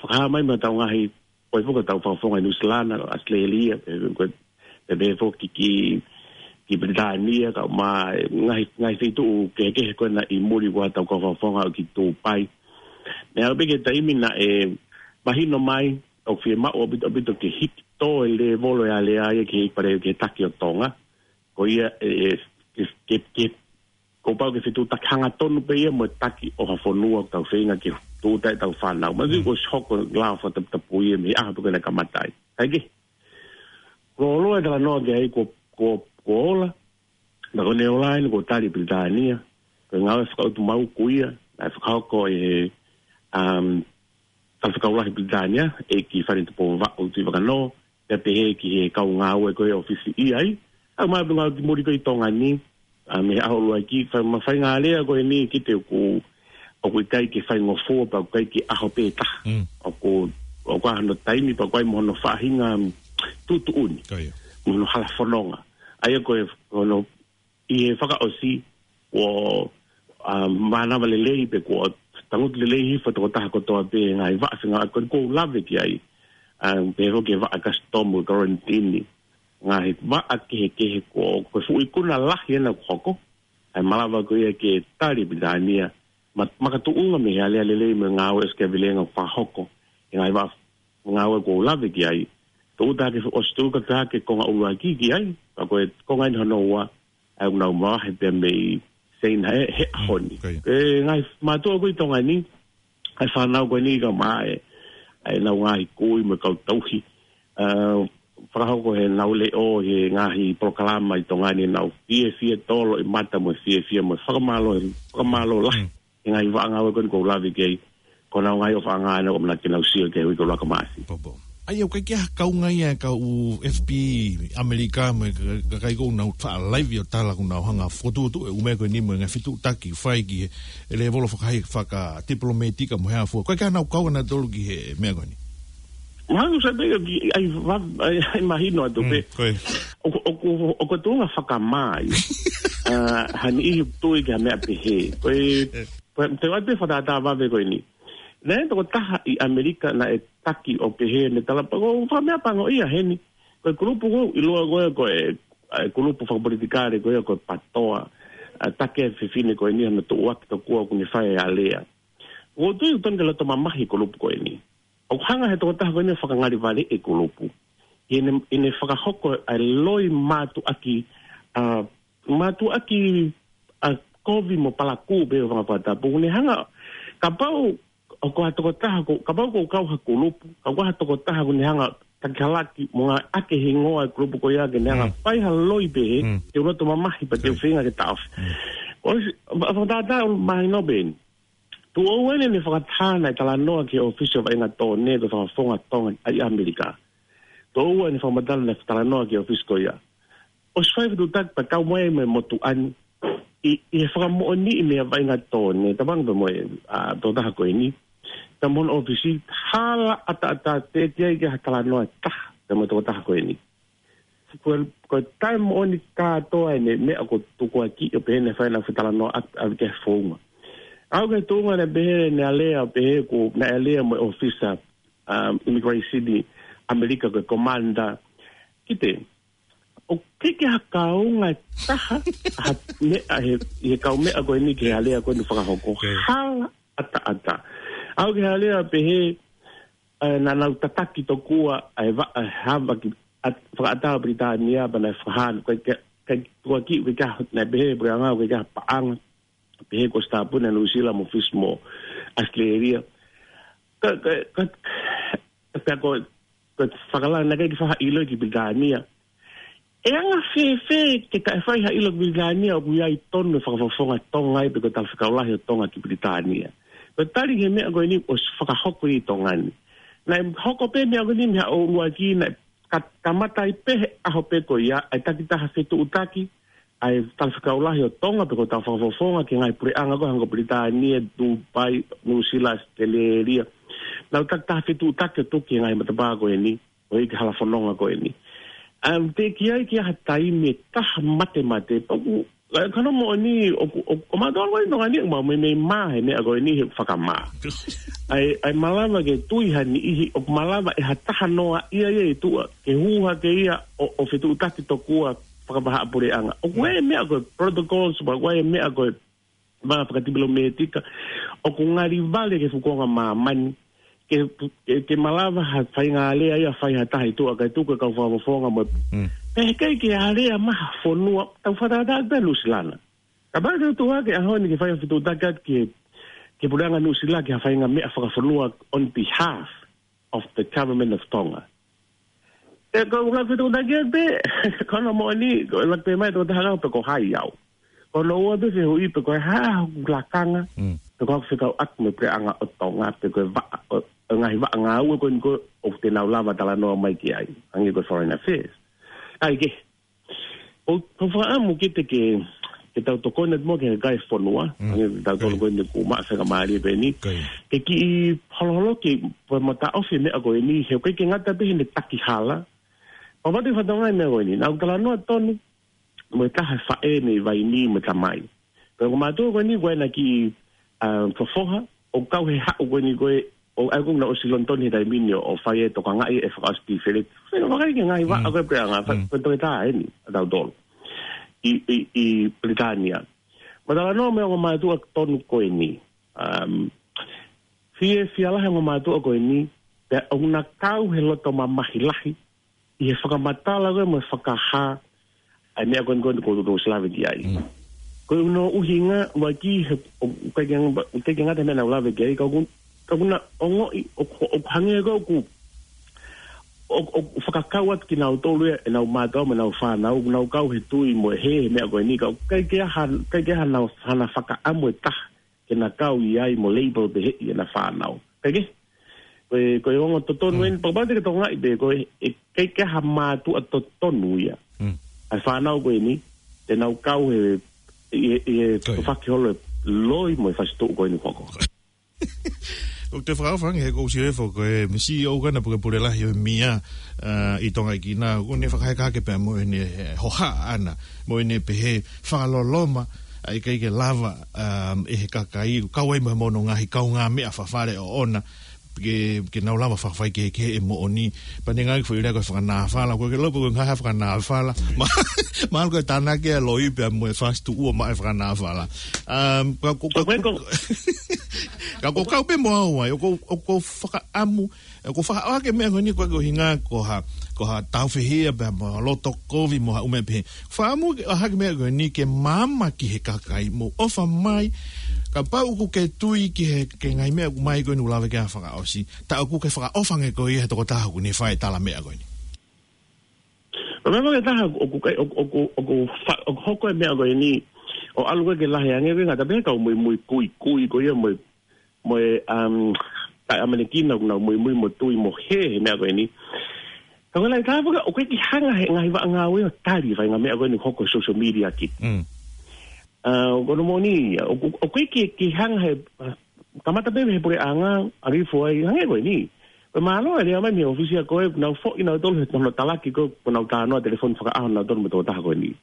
fakahā mai mei hotau ngaahi, ko e fuka tau fakafofonga ʻi Nuʻusila na, ʻAositelēlia, ʻe, ko e, pehē foki ki, ki Pilitānia, kae ʻumaʻā e ngaahi, ngaahi feituʻu kehekehe ko ena ʻi muli ko ē hotau kau fakafofonga ʻo ki Tūpai. Naʻe aʻu pē ki he taimi naʻe mahino mai, ʻoku fiemaʻu ʻaupito, ʻaupito ke hiki tō e lēvolo e alea ia ki he, pale ki he taki ʻo Tonga. Ko ia ʻe, ʻe, ke, ke, ke, kuo pau ke fetuʻutaki hangatonu pē ia mo e taki ʻo ha fonua ʻoku tau feinga ke tūʻuta ai ʻetau fānau. Manatuʻi Mm. kuo ʻosi hoko e lao fakataputapu ia mei he ʻaho pē ko ē naʻe kamata ai. Kae kehe, kuo ʻosi e talanoa ki ai, kuo, kuo, kuo ola. Naʻa ko ʻene ola eni kuo tali ʻe Pilitānia. Ko e ngāue fakaʻutumauku ia naʻe fakahoko ʻe he, um, Talafekau Lahi Pilitānia, ʻEiki Fale Tupou Vaʻu Tuʻivakanō, pea pehē ki he kau ngāue ko ē ʻoku ʻi ai. ʻA ia ʻoku mau pē ngāue ki muli ko ē ʻi Tonga ni, ʻa, mei he ʻaho ʻuluaki, fai, ma fai ngā lea ko eni ki te ʻoku, ʻoku ʻikai ke faingofua pea ʻoku ʻikai ke ʻaho pē taha. Mm. ʻOku, ʻoku ʻi ai hono taimi pea ʻoku ʻi ai mo hono faʻahinga tuʻutuʻuni. Ko ia. Mo hono hala fononga. ʻA ia ko e, ko hono ʻi he fakaʻosi, kuo, ʻa, mānava lelei pē kuo tangutu lelei hifo tokotaha kotoa pē ngaahi vaʻa fengāueʻaki ko eni ʻoku ou lave ki ai. ʻA, pehē foki ki he vaʻa customs, quarantine. Ngaahi vaʻa kehekehe kuo, ko e fuʻu ikuna lahi ena kuo hoko. ʻA e malava ko ia ke tali Pilitānia. Ma-, makatuʻunga mei he alea lelei mo e ngāue ʻosi kehekehe ʻoku fakahoko. ʻI he ngaahi vaʻa ngāue ʻoku ou lave ki ai. Tō uta ke ʻosi tō uta ke konga ʻuluaki ki ai. Pea ko e konga eni hono ua, ʻa ia ʻoku nau mavahe pea mei Seina he, he ʻaho ni. Mm, ko ia. Ko e ngaahi mātuʻa ko ē ʻi Tonga ni, ʻa e fānau ko eni ka maʻa e, ʻa ʻenau ngaahi kui mo e kau tauhi. ʻA, fakahoko heʻenau leʻo he ngaahi polokalama ʻi Tonga ni, nau fiefia tolo ʻi mata mo e fiefia mo e fakamālō, fakamālō lahi. Mm. ʻI he ngaahi vaʻa ngāue ko eni ʻoku ou lave ki ai, ko honau ngaahi ʻofaʻanga ʻoku ʻamanaki ke nau sio ki he uike ʻuluaki ʻo Maʻasi. Popo. ʻA ia, ʻoku ʻikai ke ʻi ai ha kaunga ia ʻa e kau F B I ʻAmelika mo e ka-, ka-, kakai ʻoku nau faʻa laivi ʻo tala ʻoku nau hanga ʻo fokotuʻutuʻu e ʻū meʻa ko eni mo e ngaahi fetuʻutaki fai ki he lēvolo fakahi-, fakatipilōmētika mo e hā fua. ʻOku ʻikai ke ʻi ai haʻanau kaunga nautolu ki he meʻa ko eni. Mahalo sai pē ʻoku ʻi ai va-, ʻi ai, ʻi ai mahino atu pē. Mm, ko ia. ʻOku, ʻoku, ʻoku tuʻunga fakamā ia. ʻA, ha niʻihi ʻoku tui ki ha meʻa pehē. Ko e, eh, ko e, te u ʻai pē fakatātā vave ko eni. Naʻe tokotaha ʻi ʻAmelika naʻe taki ʻo pehē ne tala pē ko e fakameʻapango ia heni. Ko e kulupu ʻoku ou ʻiloa ko ē, ko e, ʻa e kulupu fakapolitikale ko ē ko e PATOA. ʻA, taki e fefine ko eni ʻi hono tuʻuaki tokua ʻoku ne fai e alea. ʻOku ou tui ʻoku totonu ke loto mamahi e kulupu ko eni. ʻOku hanga he tokotaha ko eni ʻo fakangalivale e kulupu. ʻI heʻene, ʻene fakahoko ʻa e loi mātuʻaki, ʻa, mātuʻaki, ʻa, kovi mo palakū pē ʻo fanga fakatapu. Ne hanga, kapau ʻoku ʻi ai ha tokotaha ko, kapau ʻoku kau ha kulupu, kapau ʻoku ʻi ai ha tokotaha ʻoku ne hanga ʻo taki halaki mo ngāueʻaki e hingoa e kulupu ko ia ke ne hanga Mm. fai ha loi pehē, Mm. te u loto mamahi pea te u Sai. feinga ke taʻofi. Mm. ʻOsi, fa-, fakatātā ʻoku mahino pē eni. Tuʻo ua eni ne fakataha naʻe talanoa ki he ʻōfisi ʻo e vaʻinga tō ne ko e fakafofonga Tonga ʻi ʻAmelika. Tuʻo ua eni fakamatala naʻe talanoa ki he ʻōfisi ko ia. ʻOsi fai fetuʻutaki pea kau mai mo e motuʻa ni. ʻI, ʻi he fakamoʻoniʻi mei he vaʻinga tō ne, tauange pē mo e, ʻa, tokotaha ko eni. Ka mo hono ʻōfisi, hala ʻataʻatā teʻeki ai ke ʻi ai ha talanoa ʻe taha, pea mo e tokotaha ko eni. Ko e, ko e taimi moʻoni kātoa ʻene meʻa ko e tukuakiʻi ʻo pehē ne fai ʻenau fetalanoaʻaki ʻave ki he founga. ʻAʻu ki he tuʻunga naʻe pehē ne alea ʻo pehē ko naʻe alea mo e ʻōfisa, um, immigration ʻi ʻAmelika ko e commander. Ki te, ʻoku ʻikai ke ʻi ai ha kaunga ʻe taha, ha meʻa he, he kaumeʻa ko eni ki he alea ko eni fakahoko. Okay. Hala ʻataʻatā. ʻAʻu ki he alea pehē, ʻa, naʻa nau tataki tokua ʻa e vaʻa, ʻa e hava ki, ʻa, fakaʻatā ʻo Pilitānia pea naʻe fakahā, ʻikai ke, ʻikai tukuakiʻi, ʻikai ke ʻi ai, naʻe pehē, pule anga, ʻikai ke ʻi ai ha paʻanga, pehē ko e sitā puna Nuʻu Sila mo Fisi mo ʻAositelēlia. Ka, ka, ka, pea ko, ko e fakalanga naʻe ʻikai ke fai ha ʻilo ki Pilitānia. ʻE anga fēfē ke taʻe fai ha ʻilo ki Pilitānia ʻoku ʻi ai tonu e fakafofonga Tonga ai pe ko e talafekau lahi ʻo Tonga ki Pilitānia. Ko e tali ki he meʻa ko eni ʻosi fakahoko ʻi Tonga ni. Naʻe hoko pē meʻa ko eni mei he ʻaho ʻuluaki naʻe ka-, kamata ai pē he ʻaho pē ko ia, ʻa e takitaha fetuʻutaki, ʻa e talafekau lahi ʻo Tonga pe ko hotau fakafofonga ki he ngaahi puleʻanga ko ē hangē ko Pilitānia, Dubai, Nuʻu Sila, ʻAositelēlia. Nau takitaha fetuʻutaki ʻo tuku ki he ngaahi matapā ko eni. ʻO e hala fononga ko eni. Um, teʻeki ai ke ʻi ai ha taimi ʻe taha matemate, ʻoku, ʻa, ka ko hono moʻoni, ʻoku, ʻoku, ʻoku mātuʻa ko eni Tonga ni, ʻoku mau meimei mā he meʻa ko eni he fakamā. ʻA e, ʻa e malava ke tui ha niʻihi, ʻoku malava ʻe ha taha noa ia ia ʻi tuʻa, ke hū hake ia ʻo, ʻo fetuʻutaki tokua fakavahaʻapuleʻanga. ʻOku ʻi ai e meʻa ko e protocols, ʻoku ʻi ai e meʻa ko e mā fakatipilōmētika, ʻoku ngali vale ki he fuʻu konga māmani, ke, ke, ke malava ha faingalea ia fai ha taha ʻi tuʻa kae tuku e kau fakafofonga mo. Mm. Pea heʻikai ke alea mai ha fonua, tau fakatātā pē Nuʻu Sila na. Kapau te u tuʻu hake he ʻaho ni ke fai ha fetuʻutaki atu ki he, ki he puleʻanga Nuʻu Sila ki ha faʻahinga meʻa fakafonua on behalf of the government of Tonga. ʻE, ko e ʻuluaki fetuʻutaki pē, ko hono moʻoni, ko e ʻuluaki pē mai tokotaha kau pe ko hai au. Ko hono ua pē fehuʻi pe ko e hā hoku lakanga. Mm. pe ko haʻaku fekauʻaki mo e puleʻanga ʻo Tonga, pe ko e vaʻa, ʻo, ʻo e ngaahi vaʻa ngāue ko eni ko ē ʻoku te nau lava talanoa mai ki ai, hangē ko e Foreign Affairs. ʻA ia ke, ʻoku, ʻoku ou fakaʻamu ke te ke, ke tau tokoni atu mo ke kai fonua, Mm. hangē ko tautolu Kai. ko eni kuo maʻu faingamālie pē eni. Kai. Ke kiʻi holoholo ke, pe mataʻofi e meʻa ko eni, he ʻoku ʻikai ke ngata pē heʻene taki hala. Pea mate fatongia e meʻa ko eni. Naʻa ku talanoa tonu mo e taha e faʻē mei Vainī mo e tamai. Ko e ongo mātuʻa ko eni, ko ena ki, ā, fofoha, ʻo kau he haʻu ko eni ko ē, ʻo aʻu ko ē naʻa ku ʻosi Lonitoni he taimi ni ʻo, ʻo fai e tokangaʻi e fakaʻosi tīfeleʻi. Fai e vakai ki he ngaahi vaʻa Mm. ko ē puleʻanga, fa-, Mm. ko e toketā eni, ʻa tautolu. ʻI, ʻi, ʻi Pilitānia. Naʻa ku talanoa mo e ongo mātuʻa tonu ko eni. Um, fie, fiefia lahi e ongo mātuʻa ko eni, pea ʻoku na kau he loto mamahi lahi, ʻi he fakamatala ko ē mo e fakahā, ʻa e meʻa ko eni ko eni ʻoku ou ʻosi lave ki ai. Mm. Ko hono ʻuhinga, ʻoku ʻikai ke, ʻoku ʻikai ke, ʻoku ʻikai ke ngata he meʻa naʻa ku lave ki ai, ka ʻoku, ka ʻoku na ongoʻi, ʻoku, ʻoku hangē ko ē ʻoku, ʻoku, ʻoku fakakau atu kinautolu ia, ʻenau mātuʻa mo ʻenau fānau, ʻoku nau kau he tui mo e hē, he meʻa ko eni, ka ʻoku ʻikai ke ʻi ai ha, ʻikai ke ʻi ai hana, hana fakaʻamu ʻe taha, ke na kau ʻi ai mo label pehē ʻe ʻena fānau. Pea ke, ko e, ko e ongo totonu Mm. eni, pea kapau te ke tokangaʻi pē, ko e, ʻe ʻikai ke ʻi ai ha mātuʻa totonu ia. Mm. ʻA e fānau ko eni, te nau kau he, ʻi he, ʻi he Ko ia. tufaki holo e loi mo e fasituʻu ko eni hoko. ʻOku te fakaʻofa ange he ʻoku ou sio hifo ko e misi ʻoku ʻi ai ʻena puke pule lahi ʻo e M I A, ā, ʻi Tonga ʻi Kina, ʻoku ne fakaheka hake pea mo ʻene, ē, hohaʻa ʻana, mo ʻene pehē fakaloloma, ʻa e ʻikai ke lava, um, ʻe he kakai, kau ai mo hono ngaahi kaungāmeʻa fakafale ʻoʻona, ke, ke nau lava fakafai kehekehe e moʻoni, pea ne ngāueʻaki foʻi lea ko e fakanāfala, ko e ke loko ko e ngaahi fakanāfala, ma, ma ko e tānaki e loi pea mo e fasituʻu ʻo maʻu e fakanāfala. Um, ka, ka, ka, Ko e ko- ka ko kau pē mo au ai, ʻoku, ʻoku fakaʻamu, ʻoku fakaʻoaki e meʻa ko eni ko e ʻuhinga ko ha, ko ha tāufehiʻa pea mo ha loto kovi mo ha ʻū meʻa pehē. Fakaʻamu ke ʻohake e meʻa ko eni ke maama ki he kakai mo ʻofa mai. Kapau ʻoku ke tui ki he, ki he ngaahi meʻa ʻoku mai ko eni ʻoku lave ki ai ʻa Fakaʻosi. Tā ʻoku ke fakaʻofa ange koe ia he tokotaha ʻoku ne fai e tala meʻa ko eni. Ko e meʻa ko e taha ʻoku kai, ʻoku, ʻoku, ʻoku fa-, ʻoku hoko e meʻa ko eni. ʻO ʻalu ko ē ke lahi ange, ʻikai ngata pē he kau muimui kuikui ko ia mo e mo e, um, kakai ʻAmelika ʻoku nau muimui mo tui mo hē he meʻa ko eni. Ka ko e lahi taha foki, ʻoku ʻikai ke hanga he ngaahi vaʻa ngāue ʻo tali e faʻahinga meʻa ko eni ʻoku hoko he social media ki. Mm. Ā, ko hono moʻoni ia, ʻoku, ʻoku ʻikai ke, ke hanga he, ā, kamata pē he puleʻanga, ʻa Rifo ai, hangē ko eni. Ko e mālō e lea mai mei he ʻōfisi ʻa koe, nau foʻi nautolu he hono talaki ko ē, ko ʻenau talanoa telefoni fakaʻaho nautolu mo e tokotaha ko eni.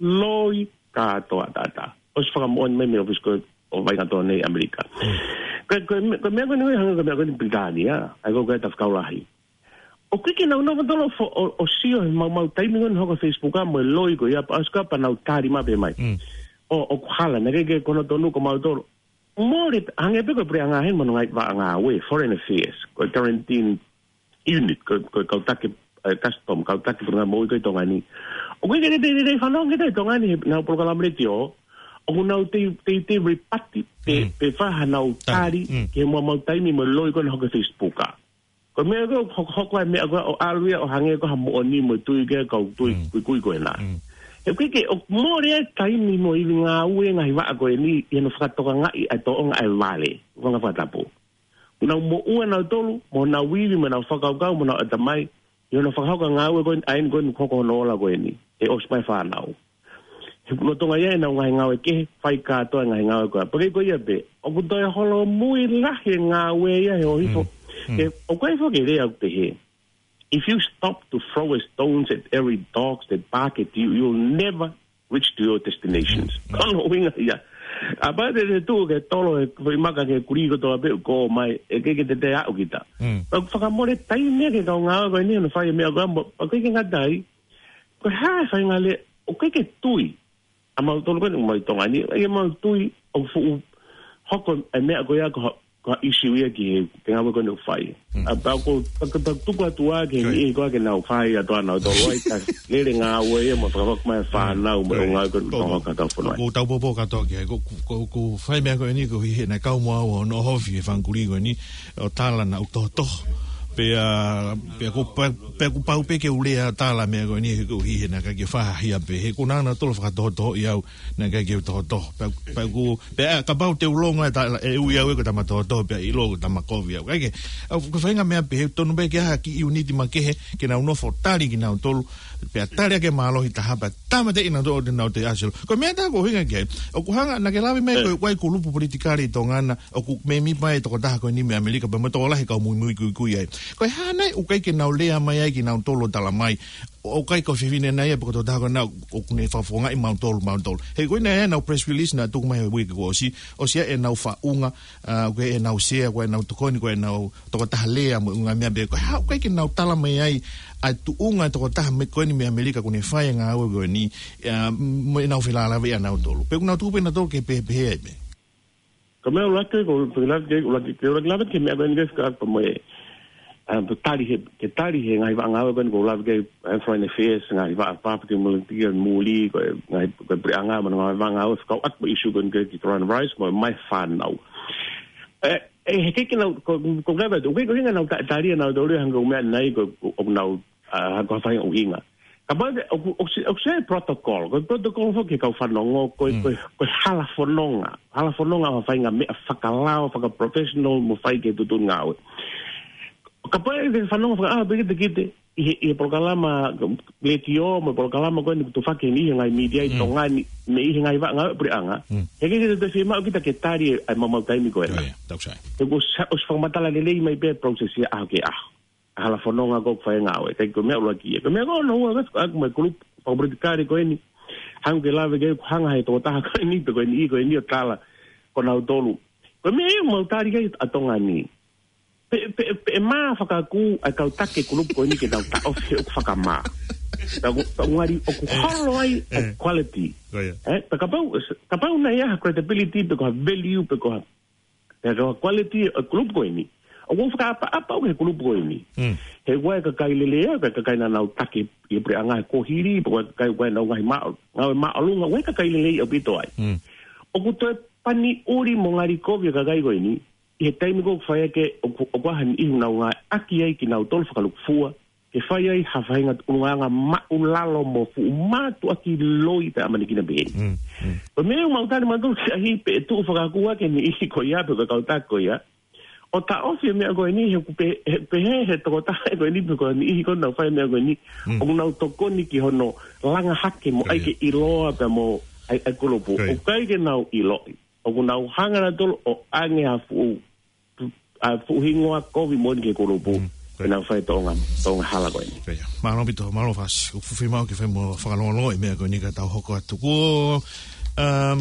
Loi kātoa ʻataʻatā. ʻOsi fakamoʻoni mai mei he ʻōfisi ko ē ʻo Vaingatoa nei ʻAmelika. Mm. Ko e, ko e me-, ko e meʻa ko eni hangē ko e meʻa ko eni Pilitānia, ʻa ia ko ē ko e tafakau lahi. ʻOku ʻikai ke nau nofo tolo fo-, ʻo, ʻo sio he maumau taimi ko eni hoko Facebook ʻa mo e loi ko ia pea ʻosi ko ia pea nau tali maʻu pē mai. Mm. ʻO, ʻoku hala, naʻe ʻikai ke ko hono tonu ko mautolu. Mole, hangē pē ko e puleʻanga heni mo hono ngaahi vaʻa ngāue, Foreign Affairs, ko e Quarantine Unit, ko, ko e kau taki, ē, Custom, kau taki puleʻanga moʻui ko ē ʻi Tonga ni. ʻOku ʻikai ke te, te, te fanongo ki ai ʻi Tonga ni, he ʻenau polokalama letiō, ʻoku nau te, te, te rebut pe, Mm. pe fai hanau Tali. tali, Mm. ki he maumau taimi mo e loi ko ena hoko he Facebook ʻa. Ko e meʻa ko ē, hoko, hoko ai e meʻa ko ē, ʻo ʻalu ia, ʻo hangē ko ha moʻoni mo e tui ki he kau tui, Mm. kuikui ko ena. Mm. He ʻoku ʻikai ke, ʻoku mole e taimi mo e ivi ngāue ngaahi vaʻa ko eni, ʻi hono fakatokangaʻi ʻa e tōʻonga ʻa e vale, ʻuhinga fakatapu. Nau moʻua nautolu, mo nau ivi, mo nau fakakaukau, mo nau ʻatamai, ʻi hono fakahoko e ngāue ko eni, ʻa eni ko eni ʻoku hoko hono ola ko eni, ʻe ʻosi mai e fānau. He lolotonga ia ʻenau ngaahi ngāue kehe, fai kātoa e ngaahi ngāue ko ia. Pea ʻikai ko ia pē, ʻoku toe holomui lahi e ngāue ia he ʻohifo. Mm. Mm. He, ʻoku ʻi ai foki e lea ʻoku pehē, if you stop to throw stones at every dog that bark at you, you'll never reach to your destinations. Mm, mm. Ko hono ʻuhinga ia. Kapau te te tuʻu ke tolo e foʻi maka ki he kulī kotoa pē ʻoku ʻomai, ʻe ʻikai ke te te aʻu kita. Mm. Pea ʻoku fakamole taimi ia ki he kau ngāue ko eni hono fai e meʻa ko ia mo, pea ʻikai ke ngata ai. Ko e hā e faʻahinga lea, ʻoku ʻikai ke tui. ʻA mautolu ko eni ʻoku mau ʻi Tonga ni, ʻikai ke mau tui ʻoku fuʻu hoko e meʻa ko ia ko ha, ko ha issue ia ki he, ki he ngāue ko eni ʻoku fai. Mm. ʻA pea ko, pea ko, pea tuku atu ā ki he Ko ia. niʻihi ko ē ke nau fai atu ʻa nautolu ai, ka lele ngāue ia mo fakahoko mai e fānau mo e Ko ia. ngāue ko eni Ko, ʻoku hoko ʻi hotau fonua. ʻOku ou taupōpō kātoa ki ai, ko, ko, ko, ko e fai meʻa ko eni ko e hē naʻe kau mo au ʻo noʻohofi e fanga kulī ko eni, ʻo tala naʻa ku tohotoho. Pea, pea ko, pea, pea ko pau pē ke u lea tala meʻa ko eni he ko hihi naʻe ʻikai ke faʻa hia pē. He ko naʻa na tolo fakatohotohoʻi au naʻe ʻikai ke u tohotoho. Pea, pea ko, pea kapau te u longa e tala, ʻe ui au ʻe ko e tama tohotoho pea ʻilo ko e tama kovi au. ʻIkai ke, ʻa, ko e faʻahinga meʻa pē he tonu pē ke ʻi ai ha kiʻi ʻiuniti makehe ke nau nofo tali kinautolu. Pea tali ʻaki e mālohi taha pea tāmateʻi kinautolu ʻo te nau te asilo. Ko e meʻa tā ko hinga ke, ʻoku hanga, naʻa ke lave mai ko e ʻoku ʻi ai e kulupu politikale ʻi Tonga na, ʻoku mēmipa e tokotaha ko eni mei ʻAmelika, pea mo e tokolahi kau muimui kuikui ai. Ko e hā nai ʻoku ʻikai ke nau lea mai ai kinautolu ʻo tala mai, ʻoku ʻikai ko e fefine nai ē pe ko e tokotaha ko ena ʻoku ne fakafofongaʻi mautolu, mautolu. He ko ena ʻenau press release naʻe tuku mai he uike kuo ʻosi, ʻosi ia ʻenau faʻunga, ʻa, ko ʻenau sea, ko ʻenau tokoni, ko ʻenau tokotaha lea mo e ngaahi meʻa pehē. Ko e hā ʻoku ʻikai ke nau tala mai ai ʻa e tuʻunga e tokotaha mei ko eni mei ʻAmelika ʻoku ne fai e ngāue ko eni, ʻa, mo ʻenau felāveʻi ʻanautolu. Pe ʻoku nau tuku pē nautolu ke pehē pehē ai pē. Ko e meʻa ʻuluaki ko, ko e lave ke, ʻuluaki, ke ʻuluaki lave ki he meʻa ko eni ke fika pa mo e, ʻa, ke tali he, ke tali he ngaahi vaʻa ngāue ko eni ko e lave ke, ʻa, Foreign Affairs, ngaahi vaʻa pāpati mo e tia muli, ko e ngaahi, ko e puleʻanga mo e ngaahi vaʻa ngāue fekauʻaki mo e issue ko eni ke ki coronavirus mo e maʻu fānau. ʻE, ʻe, he ʻikai ke nau, ko, ko e lave, ʻoku ʻikai ko hinga nau ta-, tali ʻanautolu hangē ko e meʻa nai ko, ko, ʻoku nau, ʻa, ko e faʻahinga ʻuhinga. Kapau te, ʻoku, ʻoku se, ʻoku se protocol, ko e protocol foki he kau fanongo, ko e, Mm. ko e, ko e hala fononga, hala fononga ʻo ha faʻahinga meʻa fakalao, fakaprofessional, mo fai ki he tuʻutuʻuni ngāue. Kapau ʻe te fanongo faka-, ʻa, pē kita, kita, ʻi he, ʻi he polokalama, letiō, mo e polokalama ko eni ʻoku tufaki ʻe he ngaahi media ʻi Mm. Tonga ni, mei he ngaahi vaʻa ngāue puleʻanga. Mm. He ʻikai ke te fiemaʻu kita ke tali ʻa e maumau taimi ko ena. ʻIo, ʻio, taku sai. He ʻoku sa-, ʻosi fakamatala lelei mai pē process ia ʻaho ki he ʻaho. ʻA e hala fononga ko e fai ngāue, ʻikai ko e meʻa ʻuluaki ia. Ko e meʻa ko hono ua, ko e, ko e kau kulupu fakapolitikale ko eni. Hanga ke lave ke hanga he tokotaha ko eni, pe ko eni, ko eni ʻo tala ko nautolu. Ko e meʻa ia ʻoku mau tali ki ai ʻa Tonga ni. Pe, pe, pe ʻe mā fakakū ʻa e kau taki kulupu ko eni ke nau taʻofi he ʻoku fakamā. Ka ʻoku, ka ʻoku ngali ʻoku holo ai ʻa e Eh. quality. Ko ia. Eh, pe kapau, kapau naʻe ʻi ai ha credibility, pe ko ha value, pe ko ha, pe ko ha quality ʻo e kulupu ko eni. ʻOku ou fakaʻapaʻapa au ki he kulupu ko eni. Mm. He ʻoku ʻi ai e kakai lelei, ʻa e kakai naʻa nau taki ʻi he puleʻanga he kuohili, pe ko e kakai ʻoku ʻi ai ʻenau ngaahi mā-, ngāue māʻolunga, ʻoku ʻi ai e kakai lelei ʻaupito ai. Mm. ʻOku toe pani ʻuli mo ngali kovi e kakai ko eni, ʻi he taimi ko ē ʻoku fai ʻaki, ʻoku, ʻoku ʻi ai ha niʻihi ʻoku nau ngāueʻaki ai kinautolu fakalūkufua, ke fai ai ha faʻahinga ʻulungaanga māʻulalo mo fuʻu mātuʻaki loi pē ʻamanekina pehē ni. Mm, mm. Ko e meʻa ʻoku mau tali mautolu ki ai pē ʻe tuʻu fakakū ʻaki e niʻihi ko ia pe ko e kau taki ko ia. ʻO taʻofi e meʻa ko eni he ʻoku pe-, he pehē he tokotaha ko eni pe ko e niʻihi ko ē naʻa nau fai e meʻa ko eni. Mm. ʻOku nau tokoni ki hono langa hake mo Ko ia. ʻai ke ʻiloa pea mo ʻai, ʻai kulupu. Ko ia. ʻOku ʻikai ke nau ʻiloʻi. ʻOku nau hanga nautolu ʻo ʻange ha fuʻu, ha fuʻu hingoa kovi moʻoni ki he kulupu. Mm. Ko ia. Ke nau fai e toʻonga, toʻonga hala ko eni. Ko ia. Mālō ʻaupito, mālō Fasi. ʻOku fuʻu fiemaʻu ke fai mo fakalongolongo e meʻa ko eni ka tau hoko atu. Ko, um,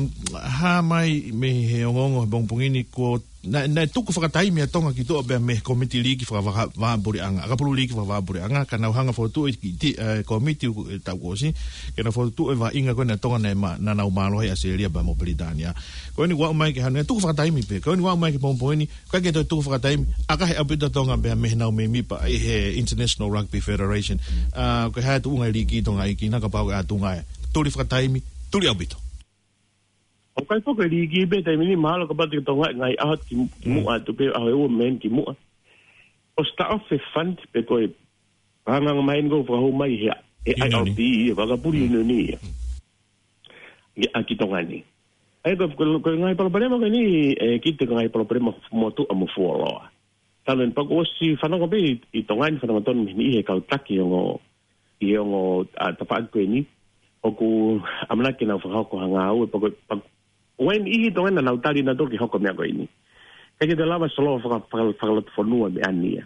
hā mai mei he ongoongo he pongipongi ni ko naʻe, naʻe tuku fakataimi ʻa Tonga ki tuʻa pea mei he kōmiti liiki fakavaha-, vahaʻa puleʻanga, ʻakapulu liiki fakavahaʻapuleʻanga, ka nau hanga ʻo fokotuʻu e ki-, ti-, eh, kōmiti ʻoku, eh, taʻu kuo ʻosi, ke nau fokotuʻu e vaʻinga ko ena ʻa Tonga naʻe ma-, naʻa nau mālohi ai ʻa ʻAositelēlia pea mo Pilitānia. Ko eni ʻoku aʻu mai ki he ʻaho ni, tuku fakataimi pē, ko eni ʻoku aʻu mai ki he pongipongi ni, ʻikai ke toe tuku fakataimi, ʻakahi ʻaupito ʻa Tonga pea mei heʻenau mēmipa ʻi he International Rugby Federation. Ah, ko e hā e tuʻunga e liiki ʻi Tonga ʻi he ʻaho ni kapau ʻe ʻatu ngāue. Tuli fakataimi, tuli ʻaupito. ʻOku ʻikai foki e liiki pē taimi ni, mahalo kapau te ke tokangaʻi ngaahi ʻaho ki, ki Mm. muʻa atu pē, ʻaho ʻe ua mei heni ki muʻa. ʻOsi taʻofi e fund pe ko e hanganga mai ni ko e fakahū mai he, he Union. I R P, he ʻakapulu Mm. Union ia. Mm. Ia ʻa ki Tonga ni. ʻA ia ko, ko, ko e ngaahi palopalema ko eni, ʻe, ki he ngaahi palopalema motuʻa mo fuoloa. Talu eni pea kuo ʻosi fanongo pē ʻi, ʻi Tonga ni fanongo tonu mei he niʻihi he kau taki ʻi he ongo, ʻi he ongo, ʻa, tafaʻaki ko eni. ʻOku ʻamanaki ke nau fakahoko ha ngāue pea ko, pea ko e niʻihi ʻi Tonga ni naʻa nau tali nautolu ke hoko e meʻa ko eni. ʻIkai ke te lava solo faka-, faka-, fakalotofonua meʻa ni ia.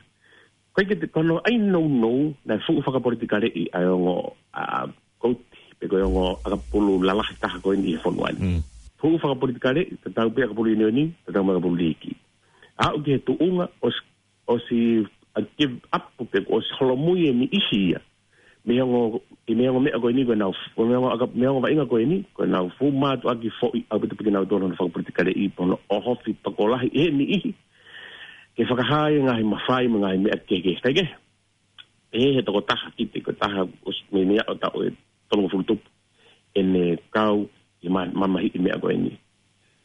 ʻIkai ke te, ko hono ʻai nounou, naʻe fuʻu fakapolitikaleʻi ʻa e ongo, ʻa, kouti, pe ko e ongo ʻakapulu lalahi taha ko eni ʻi he fonua ni. Mm. Fuʻu fakapolitikaleʻi, tatau pē ʻakapulu Union, tatau mo e ʻakapulu liiki. Aʻu ki he tuʻunga, ʻosi, ʻosi, ʻa, give up, pe ʻosi holomui e niʻihi ia. Mei he ongo, ʻi he ongo meʻa ko eni ko ʻenau, mei he ongo ʻaka-, mei he ongo vaʻinga ko eni, ko ʻenau fuʻu mātuʻaki foʻi ʻaupito pē kinautolu hono fakapolitikaleʻi, pe hono ʻohofi tokolahi ʻe he niʻihi. Ke fakahā e ngaahi mafai mo e ngaahi meʻa kehekehe. ʻIkai ke, ʻe he tokotaha ki he tokotaha ʻosi mei, mei he ʻaho taʻu ʻe tolungofulu tupu ʻene kau ʻi he ma-, mamahiʻi e meʻa ko eni.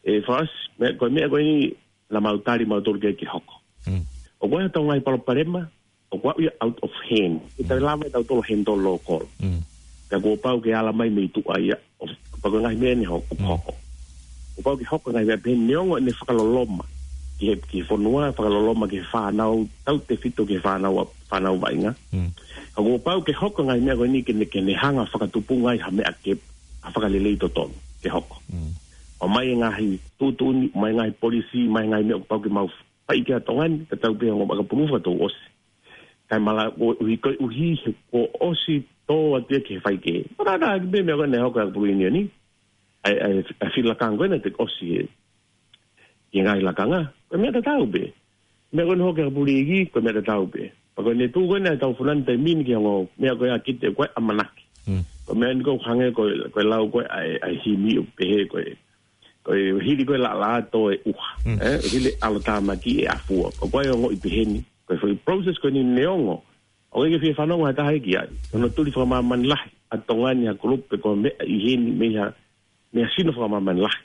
ʻE Fasi, meʻa, ko e meʻa ko eni naʻa mau tali mautolu ke, ke hoko. Mm. ʻOku ʻi ai ha ngaahi palopalema, Ko ia out of hand. ʻE tau lava ʻe tautolu handle local. Mm. Ka kuo pau ke ala mai mei tuʻa ia, ʻo, pea ko e ngaahi meʻa ʻe hoko, Mm. hoko. Kuo pau ke hoko e ngaahi meʻa pehē neongo ʻene fakaloloma ki he, ki he fonua, fakaloloma ki he fānau, tautefito ki he fānau, fānau vaʻinga. Mm. Ka kuo pau ke hoko e ngaahi meʻa ko eni ke ne, ke ne hanga fakatupunga ai ha meʻa ke, ha fakalelei totonu ke hoko. Mm. ʻOmai e ngaahi tuʻutuʻuni, ʻomai e ngaahi polisi, ʻomai e ngaahi meʻa kuo pau ke mau fai ki ai ʻa Tonga ni, tatau pē ongo ʻakapulu fakatouʻosi. Kae malava, ʻuhi, koeʻuhi he kuo ʻosi tō atu ia ki he faikehe. Parana, ki he meʻa ko eni ʻe hoko ʻi ʻakapulu ʻIunioni. ʻAi, ʻai, ʻai fili lakanga ko ena te ʻosi he, ki he ngaahi lakanga. Ko e meʻa tatau pē. Meʻa ko eni ʻe hoko ʻi ʻakapulu iiki, ko e meʻa tatau pē. Pea ko eni tuʻu ko eni ʻa e tau funani taimi ni ki he ongo meʻa ko ia ʻa Kite ko e ʻamanaki. Mm. Ko e meʻa ni ʻoku hangē ko e, ko e lau ko ē ʻa e, ʻa e himi ʻoku pehē ko e, ko e hili ko e laʻalaʻā tō e ʻuha. Mm. Eh, hili ʻalotāmaki ʻe ʻafua. Ko e ongoʻi pehē ni. Ko e foʻi process ko eni neongo ʻoku ʻikai ke fie fanongo ha taha ia ki ai. Ko hono tuli fakamāmani lahi ʻa Tonga ni ha kulupu pe ko e meʻa ʻi heni mei ha, mei ha sino fakamāmani lahi.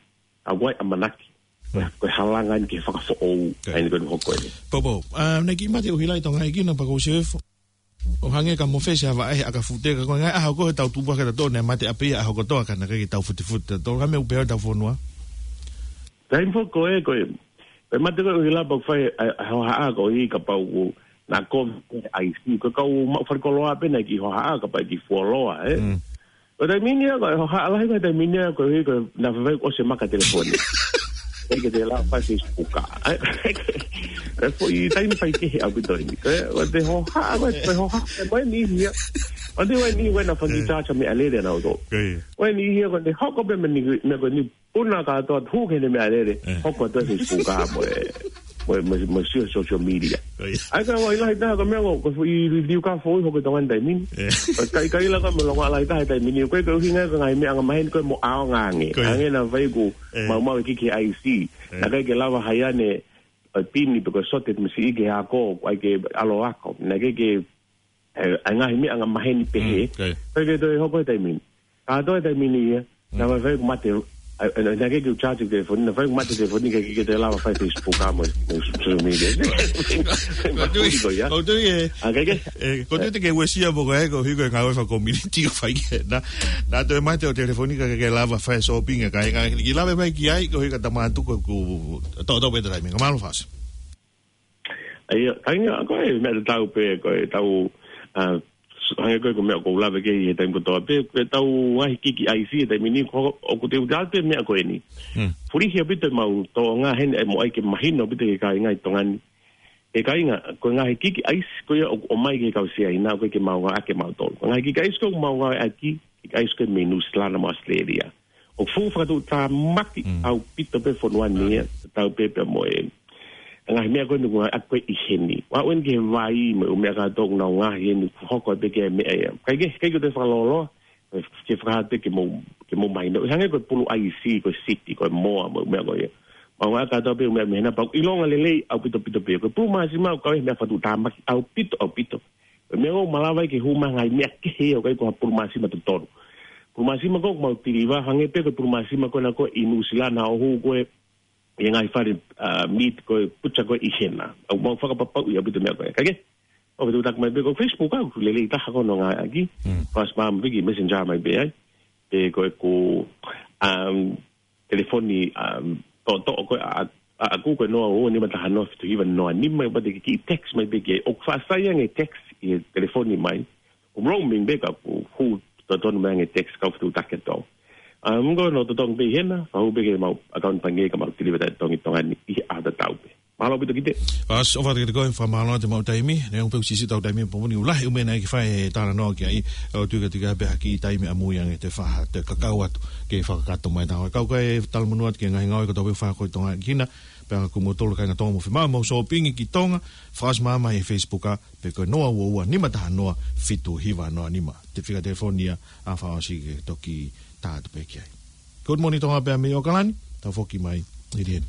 ʻA e ʻamanaki. Ko e, ko e halanga eni ke fakafoʻou. Okay. ʻA eni ko eni ʻe hoko eni. Popo, ah, naʻe kiʻi mate ʻUhila ʻi Tonga ʻi Kina pea ko Sefo. ʻO hangē ka mofesi ha vaʻe he ʻakafute ka ko e ngaahi ʻaho ko ē he tau tupu hake tautolu naʻe mate ʻapi ia ʻaho kotoa ka naʻe ʻikai ke tau futifute tautolu. Ka meʻa ʻoku pehē ʻa e tau fonua. Taimi foki ko ē, ko e, ko e mate ko ē ʻUhila pea ʻoku fai ʻa e, ʻa e hohaʻa ko ē kapau ʻoku na kovi ʻa e ʻaisi, ko e kau maʻu falikoloa pē naʻe kiʻi hohaʻa kapau ʻe kiʻi fuoloa, eh. Mm. Ko e taimi ni ia, ko e hohaʻa lahi ko e taimi ni ia, koeʻuhi ko e naʻa faifai ʻosi e maka telefoni. ʻIkai ke te lava fai Facebook. Eh, ko e foʻi taimi faikehe ʻaupito eni. Ko e, ko e te hohaʻa, ko e, ko e hohaʻa, ko e mo e niʻihi ia. ʻO te mo e niʻihi ko ē naʻa fai Eh. Charge meʻalele ʻa nautolu. Ko ia. Ko e niʻihi ia ko ē ne hoko pē mo e niʻihi, mo e ko eni puna kātoa hū ki heʻene meʻalele, Eh. hoko atu ʻi he Facebook mo e, mo e, mo e, mo e sio social media. Ko ia. ʻAi ka ʻoku ʻi ai lahi taha ko e meʻa ko e, ko e foʻi liuka foʻou hoko ʻi Tonga ni taimi ni. Eh. Ko e kai, kai la ka mo e longoaʻa lahi taha he taimi ni. Ko e, ko e ʻuhinga ko e ngaahi meʻa anga maheni ko e mo ʻaonga ange. Ko ia. Ange naʻa faifai ʻoku Eh. maumau e kiki ʻaisi. Eh. Naʻe ʻikai ke lava haiane, ʻa e pini pe ko e sote mo e siʻi ke ako, ʻai ke ʻalu ʻo ako. Naʻe ʻikai ke ʻe, ʻa e ngaahi meʻa anga maheni pehē. Mm, okay. Pea ke toe hoko he taimi ni. Ka toe taimi ni ia, Mm. naʻa faifai ʻoku mate, ʻa, ʻa, naʻe ʻikai ke u charge telefoni, naʻa faifai ʻoku mate telefoni, ʻikai ke te lava fai Facebook mo e, mo e social media. Ko e tui, Ko ia. ko e tui e. ʻA, ʻikai ke? E, ko e tui te ke uesia mo ko e, koeʻuhi ko e ngāue faka-community ʻoku fai ke. Naʻa, naʻa toe mate ʻa e telefoni, ʻikai ke lava fai shopping, ʻikai, ʻikai ke lava mai ki ai, koeʻuhi ka tama atu ko e ku, to, to, pē taimi. Ka mālō Fasi. ʻA ia, kāinga, ko e meʻa tatau pē, ko e tau, ah, hangē ko e, ko e meʻa ʻoku ou lave ki ai he taimi kotoa pē, ko e tau ngaahi kiki ʻaisi he taimi ni, ko, ʻoku te u tala pē meʻa ko eni. Hmm. Fulihi ʻaupito ʻemau tōʻonga heni, ʻe mo ʻai ke mahino ʻaupito ki he kāinga ʻi Tonga ni. ʻE kāinga, ko e ngaahi kiki ʻaisi ko ia ʻoku ʻomai ki he kau Siaina, ʻoku ʻikai ke mau ngāueʻaki ʻe mautolu. Ko e ngaahi kiki ʻaisi ko ē ʻoku mau ngāueʻaki, kiki ʻaisi ko ē mei Nuʻu Sila mo ʻAositelēlia. ʻOku fuʻu fakatuʻutāmaki Mm. ʻaupito pē fonua ni ia, tatau pē pea mo e ngaahi meʻa ko eni ʻoku ngāueʻaki ko ē ʻi heni. ʻOku ʻi ai eni ki he vai mo e ʻū meʻa kātoa ʻoku nau ngaahi eni ʻoku hoko pē ki ai e meʻa ia. ʻIkai ke, ʻikai ke te fakalōloa, ke fakahā pē ke mou, ke mou mahino. ʻI hangē ko e pulu ʻaisi, ko e siti, ko e moa, mo e ʻū meʻa ko ia. Mau ngāueʻaki kātoa pē ʻū meʻa mei hena pea ʻoku ʻilonga lelei ʻaupito pito pē. Ko e pulu māsima ʻoku kau he meʻa fakatuʻutāmaki ʻaupito, ʻaupito. Ko e meʻa ʻoku malava ai ke hū mai e ngaahi meʻa kehe ia ʻoku ʻikai ko ha pulu māsima totonu. Pulu māsima ko ē ʻoku mau tiliva, hangē pē ko e pulu māsima ko ena ko ē ʻi Nuʻu Sila naʻa ʻoku hū ko ē ʻi he ngaahi fale, ah, meat ko ē, butcher ko ē ʻi hena. ʻOku mau fakapapauʻi ʻaupito e meʻa ko ē. Ka ke, ʻoku fetuʻutaki mai pē ko e Facebook ʻoku lelei taha ko hono ngāueʻaki. Mm. Fast mā mai pē ki he Messenger mai pē ai. Pe ko e ku, um, telefoni, um, toʻotoʻo ko ē ʻa, ʻa, ʻaʻaku ko e noa ua ua nima taha noa fitu hiva noa nima, pea te ke kiʻi text mai pē ki ai. ʻOku faʻasai ange text ʻi he telefoni mai. ʻOku roaming pē ka ʻoku hū totonu mai ange text ka ʻoku fetuʻutaki atu. Um, ko hono totongi pē ʻi hena, fakahū pē ki heʻemau account pangikē ka mau tiliva taʻetotongi ʻi Tonga ni ʻi he ʻaho tatau pē. Mālō ʻaupito Kite. Fasi, ʻofa atu kiate koe, fakamālō atu ʻemau taimi. Neongo pē ʻoku siʻisiʻi ʻetau taimi he pongipongi ni, ʻoku lahi e ʻū meʻa naʻe ʻikai ke fai e talanoa ki ai, ʻo tuku atu ki ai pē ha kiʻi taimi ʻamui ange te u fakahā, te u kakau atu ke fakakakato mai ʻetau. Kau ki ai e talamonū atu ki he ngaahi ngāue kotoa pē ʻoku fakahoko ʻi Tonga ʻi Kina, pea ʻoku mou tolu kāinga Tonga mou fiemaʻu ʻemau shopping ki Tonga, fast mā mai he Facebook, pe ko e noa ua ua nima taha noa fitu hiva noa nima. Te fika telefoni ia ʻa e fakaʻosi ke toki tā atu pē ki ai. Good morning Tonga pea mei ʻAokalani, tau foki mai ʻi heni.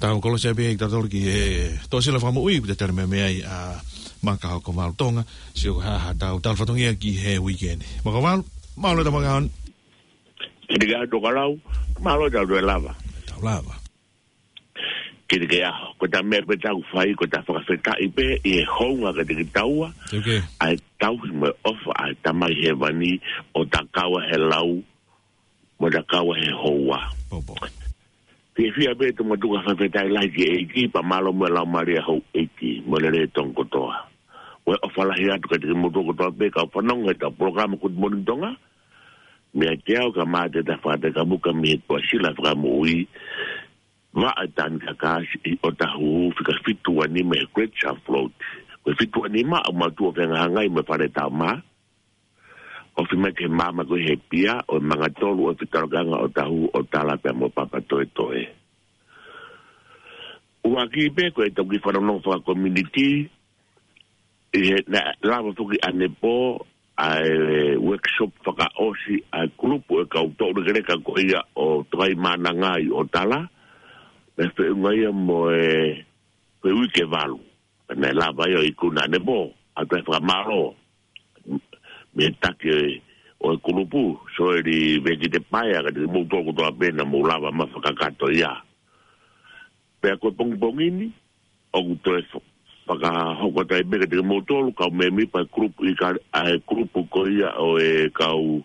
Tau kolosi pē ʻi tatolo ki he Toʻasila Fakamoʻui, ʻoku te tali mai ai ʻa Maka Hokovalu Tonga, sio ha ha tau tau fatongia ki he weekend. Maka Hokovalu, mālō e tau maka hon. Kiate koe Tokalau, mālō e tau toe lava. Tau lava. Kiate koe ʻaho, ko e tau meʻa pē tau fai, ko e tau fakafetaʻi pē, ʻi he hounga kiate kitaua, Ok. ʻa e tauhi mo e ʻofa, ʻa e Tamai Hēvani, ʻo takaua he lau, mo takaua he houa. Popo. Fiefia pē Tongatapu, fakafetaʻi lahi ki he ʻEiki, pea mālō mo e laumālie ʻa houʻeiki, mo e lelei ʻo Tonga kotoa. Ko e ʻofa lahi atu kiate kimoutolu kotoa pē, kau fanongo he tau polokalama Good Morning Tonga, meiate au Kamata Tafata Kamuka mei he Toʻasila Fakamoʻui, Vaʻa ʻi Tanikakasi ʻi ʻOtahuhu, fika fitu ua nima he Great South Road. Ko e fitu ua nima ʻoku mātuʻa fehangahangai mo e fale tau mā. ʻOfi mai ki he maama ko ē he pia ʻo e Mangatolu ʻo e fitalokiʻanga ʻo Otahuhu, ʻo Tala pea mo Papatoetoe. ʻUluaki pē ko e tau kiʻi fanongo fakakominiti, ʻi he naʻe lava foki ʻanepō ʻa e workshop fakaʻosi ʻa e kulupu ʻo e kau toʻulekeleka ko ia ʻo Tokaimaʻananga ʻi ʻOtala, naʻe feʻunga ia mo e, ko e uike valu. Pea naʻe lava ia ʻo ikuna ʻanepō, ʻa e toe fakamālō mei he taki ʻo e kulupu, Soeli Vekitepaea, kiate kimoutolu kotoa pē naʻa mou lava mai ʻo fakakakato ia. Pea ko e pongipongi ni, ʻoku toe fa-, fakahoko atu ai pē kiate kimoutolu, kau mēmipa ʻa e kulupu ʻi ka-, ʻa e kulupu ko ia ʻo e kau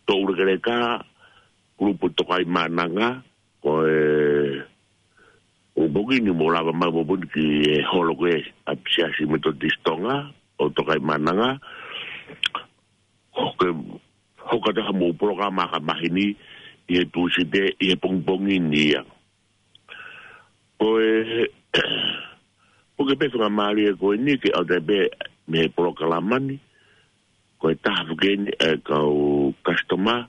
toʻulekeleka, kulupu Tokaimaʻananga, ko e pongipongi ni mou lava mai pongipongi ki he holo ko ē ʻa e Siasi Metotisi Tonga ʻo Tokaimaʻananga. Ko e hoko atu ai haʻamou polokalama ʻa e māhina ni ʻi he Tūsite ʻi he pongipongi ni ia. Ko e, ko e kiʻi faingamālie ko eni ke ʻoatu ai pē mei he polokalama ni, ko e taha foki eni ʻa e kau customer,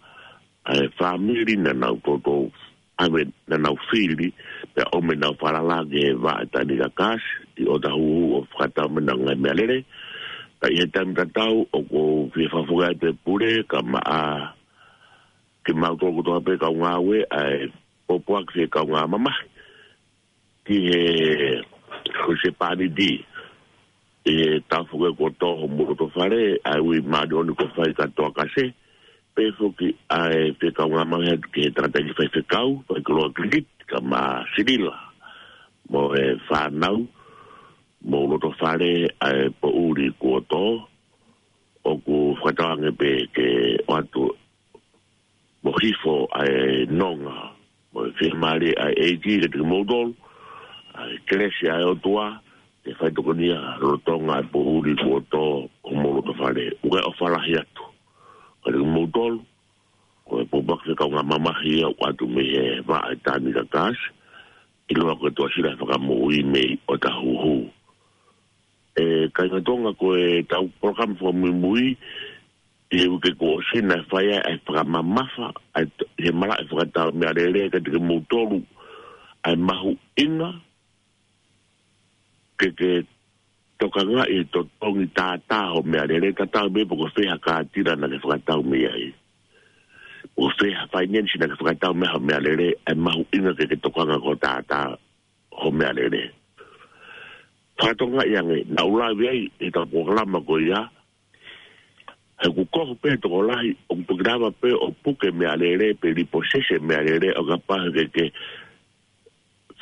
ʻa e fāmili naʻa nau toutou ʻave ʻenau fili, pea ʻomi ʻenau falala ki he Vaʻa ʻi Tanikakasi ʻi ʻOtahuhu ʻo fakatau mai ʻenau ngaahi meʻalele. Ka ʻi he taimi tatau ʻoku ou fie fakafoki atu e pule, kae ʻumaʻā kimautolu kotoa pē kau ngāue, ʻa e pōpoaki ki he kaungā mamahi ki he husepāniti ʻi he taʻu foki kuo tō homou loto fale, ʻa e ui māʻoniʻoni kuo fai kia Toakase, pehē foki ʻa e fie kaungā mamahi atu ki he tangataʻeiki faifekau, Faikoloa Kilikiti, kae ʻumaʻā Silila mo e fānau, mo e loto fale, ʻa e poʻuli kuo tō, ʻoku fakatauange pē ke ʻoatu mo hifo ʻa e nonga mo e fiemālie ʻa e ʻEiki kiate kimoutolu, ʻa e kelesi ʻa e ʻOtua ke faitokonia lolotonga ʻa e poʻuli kuo tō homou loto fale. ʻOku ʻofa lahi atu kiate kimoutolu, ko e pōpoaki fie kaungā mamahi ia ʻoku ʻoatu mei he Vaʻa ʻi Tanikakasi, ʻiloa ko e Toʻasila Fakamoʻui mei ʻOtahuhu. ʻE kāinga Tonga, ko e tau polokalama fakamuimui ʻi he uike kuo ʻosi naʻe fai ai ʻa e fakamamafa ʻa e t-, ʻi he malaʻe fakatau meʻalele kiate kimoutolu ʻa e mahuʻinga ke ke tokangaʻi e totongi tātā hoʻo meʻalele, tatau ai pē pe ko fē ha kātila naʻa ke fakatau mei ai, pe ko fē ha finance naʻa ke fakatau mei ai hoʻo meʻalele, ʻa e mahuʻinga ke ke tokanga ki hoʻo tātā hoʻo meʻalele. Fakatokangaʻi ange, naʻa ku lave ai he tau polokalama ko ia, he ʻoku kohu pē tokolahi ʻoku toki lava pē ʻo puke meʻalele pe liposese meʻalele ʻo kapau he ʻikai ke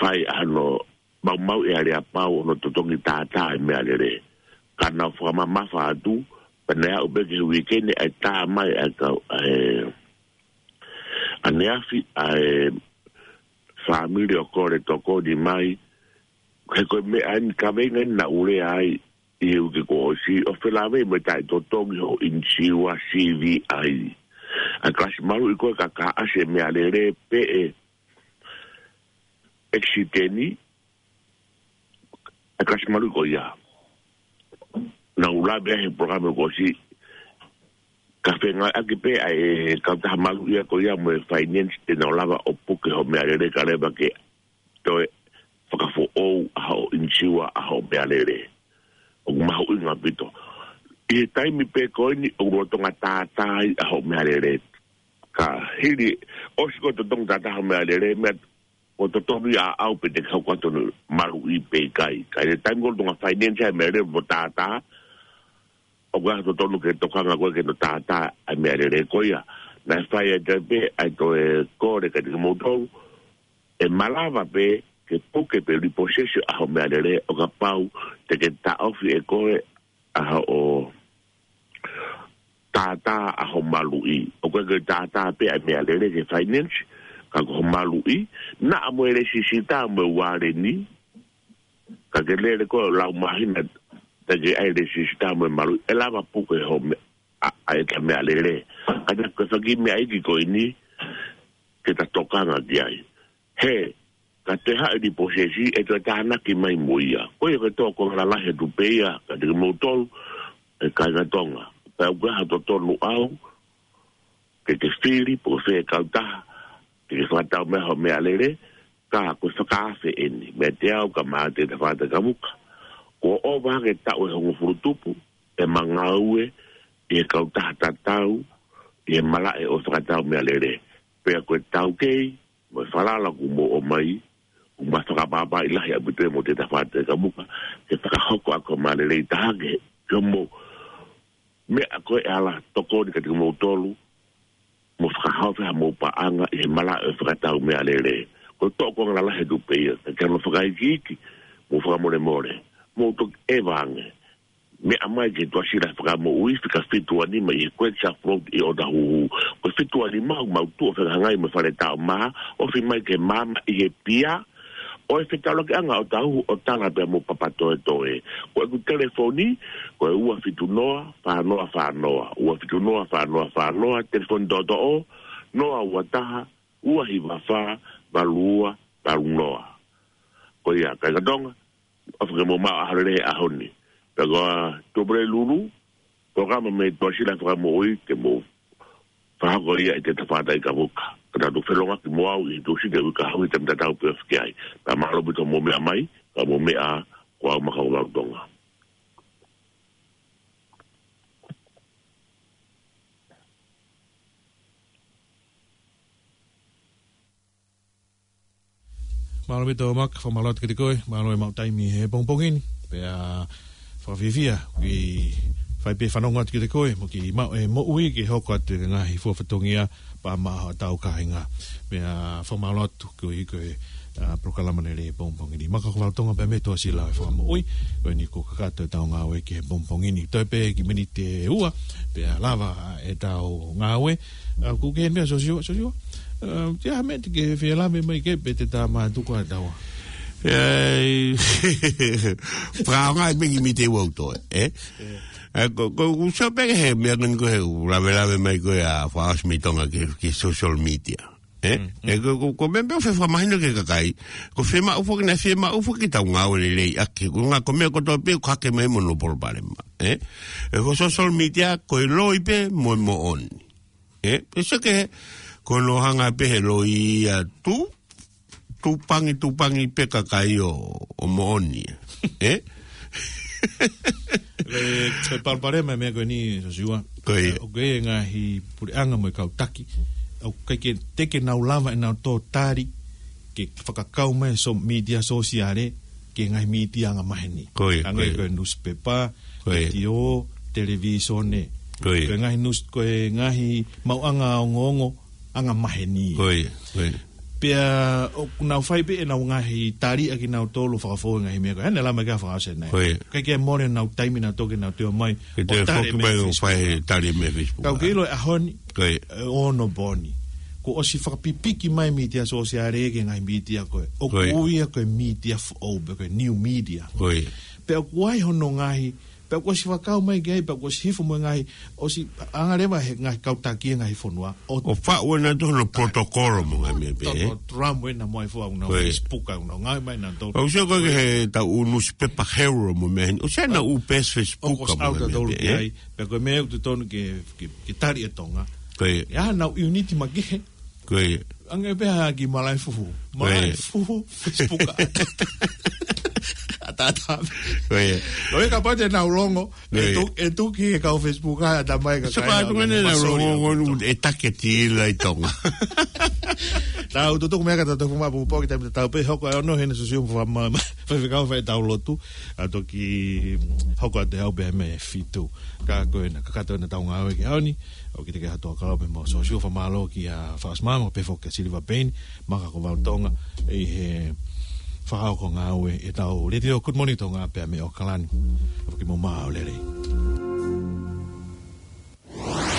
fai hano maumauʻi aleapau hono totongi tātā e meʻalele. Ka naʻa ku fakamamafa atu, pea naʻe aʻu pē ki he uike ni ʻa e tā mai ʻa e kau, ʻa e, ʻaneafi ʻa e fāmili ʻo kole tokoni mai, he ko e meʻa eni, kaveinga eni naʻa ku lea ai ʻi he uike kuo ʻosi, ʻo felāveʻi mo e taʻetotongi hoʻo ʻinisiua, C V I. ʻA e kalasi maluʻi ko ē ka ka ʻasi e meʻalele pe ʻe ʻekisiteni, ʻa e kalasi maluʻi ko ia. Naʻa ku lave ai he polokalama kuo ʻosi, ka fengāueʻaki pē ʻa e kautaha maluʻi ia ko ia mo e finance te nau lava ʻo puke hoʻo meʻalele ka leva ke toe fakafoʻou ʻa hoʻo ʻinisiua ʻa hoʻo meʻalele. ʻOku mahuʻinga ʻaupito. ʻI he taimi pē ko eni ʻoku lolotonga tātā ai ʻa hoʻo meʻalele. Ka hili, ʻosi ko e totongi tātā hoʻo meʻalele, meʻa ʻoku totonu ia ʻaʻau pe te ke hoko atu ʻo maluʻi pe ʻikai. Ka ʻi he taimi ko ē ʻoku totonu ke finance ai e meʻalele mo tātā, ʻoku ʻikai totonu ke tokanga koe ke ne tātā ʻa e meʻalele ko ia. Naʻe fai ʻe Taipe ʻa e toe kole kiate kimoutolu, ʻe malava pē ke puke pe repossess ʻa hoʻo meʻalele ʻo kapau te ke taʻofi ʻe koe ʻa hoʻo tātā ʻa hoʻo maluʻi. ʻOku ʻikai ke tātā pē ʻa e meʻalele ke finance, ka ko hoʻo maluʻi, naʻa mo e lēsisita mo e ualeni, ka ke lele koe ʻo lau māhina, teʻeki ai lēsisita mo e maluʻi, ʻe lava puke hoʻo me-, ʻa, ʻa e ta meʻalele. Ka te ke faki meʻa iiki ko eni, ke ta tokanga ki ai. He, ka te haʻu e repossess, ʻe toe tānaki mai mo ia. Ko ia ko e tō ko e lalahi atu pē ia, kiate kimoutolu, ʻe kāinga Tonga. Pea ʻoku ʻikai ha totonu ʻaʻau, ke ke fili, pe ko fē kautaha, ke ke fakatau mai hoʻo meʻalele, ka ko e fakaafe eni, meiate au kae ʻumaʻā Tētē Fātai Kavuka. Kuo ʻova hake e taʻu ʻe hongofulu tupu, ʻema ngāue, ʻi he kautaha tatau, ʻi he malaʻe ʻo e fakatau meʻalele. Pea ko e taukei, mo e falala kuo mou ʻomai, ʻoku ma fakapapauʻi lahi ʻaupito mo Tētē Fātai Kavuka, ke fakahoko ʻa e kau mālele ʻi taha ke, ke mo meʻa ko ē ʻe ala tokoni kiate kimoutolu, mo fakahaofi haʻamou paʻanga ʻi he malaʻe ʻo e fakatau meʻalele. Ko e tō ko e lalahi atu pē ia, ka ke ʻalu ʻo fakaikiiki, mo fakamolemole, mou toki ʻeva ange. Meʻa mai ki he Tuʻasila Fakamoʻui, fika fitu uanima ʻi he Great South Road ʻi ʻŌtāhuhu. Ko e fitu uanima ʻoku mau tuʻu ʻo fehangahangai mo e Fale Taʻomaha, ofi mai ki he maama ʻi he pia, ʻo e fetaulakiʻanga ʻo ʻŌtāhuhu ʻo tala pea mo Papatoetoe. Ko ʻeku telefoni, ko e ua fitu noa, fā noa fā noa, ua fitu noa, fā noa fā noa, telefoni toʻotoʻo, noa ua taha, ua hiva fā, valu ua, valu noa. Ko ia, kāinga Tonga, ʻofa ke mou maʻu ʻaho lelei he ʻaho ni. Pea ko e Tuʻapulelulu, polokalama mei he Tuʻasila Fakamoʻui ke mou fakahoko ia ʻi Tētē Fātai Kavuka. Ka tau toe felōngoaki mo au ʻi he Tūsite uike kahaʻu he taimi tatau pē ʻoku ʻosi ki ai. Pea mālō ʻaupito hoʻomou meʻa mai, ka mou meʻa, ko au Maka Kovau Tonga. Mālō ʻaupito Maka, fakamālō atu kiate koe, mālō e maʻu taimi he pongipongi ni, pea fakafiefia, ke fai pē fanongo atu kiate koe, mo ke maʻu e moʻui ke hoko atu e ngaahi fua fatongia, pea maʻa hotau kāinga. Pea fakamālō atu koeʻuhi ko e, ʻa, polokalama lelei he pongipongi ni. Maka Kovau Tonga pea mei he Tuʻasila Fakamoʻui, ko eni kuo kakato ʻetau ngāue ki he pongipongi ni. Toe pē kiʻi miniti ʻe ua, pea lava ʻetau ngāue. ʻA, ʻoku ke meʻa Sosiua, Sosiua. ʻA, ʻoku ʻi ai ha meʻa te ke fie lave mai ki ai pe te ta mātuku ʻa taua. ʻE, fakaʻaongaʻi pē kiʻi miniti ʻe ua ʻoku toe, ē? ʻE. ʻA, ko, ko, ʻoku sio pē ki he meʻa ko eni ko e ʻū lavelave mai ko ē ʻa Fakaʻosi mei Tonga ki, ki social media. ʻE? Mm, mm. ʻE, ko, ko, ko e meʻa pē ʻoku fakamahino ki he kakai. Ko e fiemaʻu foki naʻe fiemaʻu foki ke tau ngāue lelei ʻaki. Ko e ngaahi, ko e meʻa kotoa pē ʻoku hake mai mo hono palopalema. ʻE? ʻE, ko social media, ko e loi pē mo e moʻoni. ʻE? Pea sio ki he, ko hono hanga pē he loi ia tu, tupangi, tupangi pē kakai ʻo, ʻo moʻoni. ʻE? Ko e, ko e palopalema e meʻa ko eni, Sosiua. Ko ia. ʻOku ʻi ai e ngaahi puleʻanga mo e kau taki. ʻOku ʻikai ke, teʻeki ke nau lava ʻenau tō tali, ke fakakau mai e so-, mītia sōsiale, ki he ngaahi mītia angamaheni. Ko ia, ko ia. Hangē ko e newspaper, ko ia. Letiō, televīsone. Ko ia. Ko e ngaahi news, ko e ngaahi maʻuʻanga ongoongo angamaheni. Ko ia, ko ia. Pea ʻoku nau fai pē ʻenau ngaahi tali ʻa kinautolu fakafou he ngaahi meʻa ko ē. Hane lama kia fakaʻosi ʻanenai. Ko ia. ʻIkai ke mole ʻenau taimi naʻa toki nau tō mai. Ke ʻo toe tali foki mei mai he ʻo Facebook. Fai tali mei he Facebook. Ka ʻoku ke ʻilo e ʻaho ni. Ko ia. ʻE ono pō ni. Kuo ʻosi fakapipiki mai mītia sōsiale ki he ngaahi mītia ko ē. ʻOku ui ia ko e mītia foʻou, pe ko e new media. Ko ia. Pea ʻoku ʻi ai hono ngaahi, pea kuo ʻosi fakakau mai ki ai, pea kuo ʻosi hifo mo e ngaahi, ʻosi anga leva he ngaahi kau taki e ngaahi fonua. ʻO, ʻo faʻu ʻenau tohi hono protocol mo e ngaahi meʻa pē, ē? Tau, tau, Trump ena mo e fua ʻenau Facebook ʻenau ngaahi mai ʻenau tohi. ʻOku sio ko ē ki he tau ʻū newspaper Herald mo e meʻa heni. ʻOku sio ʻenau ʻū page Facebook mo e ngaahi meʻa pē, ē? Pea ko e meʻa ʻoku totonu ke, ke, ke tali ʻe Tonga. Ko ia. ʻE ʻi ai haʻanau unit makehe. Ko ia. Ange pē ha kiʻi malaʻe fuhu. Ko ia. Malaʻe fuhu, Facebook. ʻA ta Ata. Ko ia. Ko ia kapau te nau longo, e Ko ia. tu-, e tuki e kau Facebook ʻa ʻatamai ka Sio kai ka nau tuku ʻene nau masoli longo au. ngonu e taketi ila ʻi Tonga. Tau tutuku meʻa ka tau tofu mapu poki taimi tau pē hoko ʻa e ono hena susiu fa ma, ma, fa fika fa tau lotu. ʻA toki hoko atu ʻe au pē mei he fitu. Ka ko ena, kakato ena tau ngāue ki he ʻaho ni. ʻOku ʻikai ke hatu ʻa kalo pē mo susiu fa mālō kia Faʻasimama pē foki kia Siliva Peini. Maka ko Vau Tonga ʻi he fakahoko ngāue ʻetau Letiō Good Morning Tonga pea mei ʻAokalani. ʻOku ke mo mā o lelei.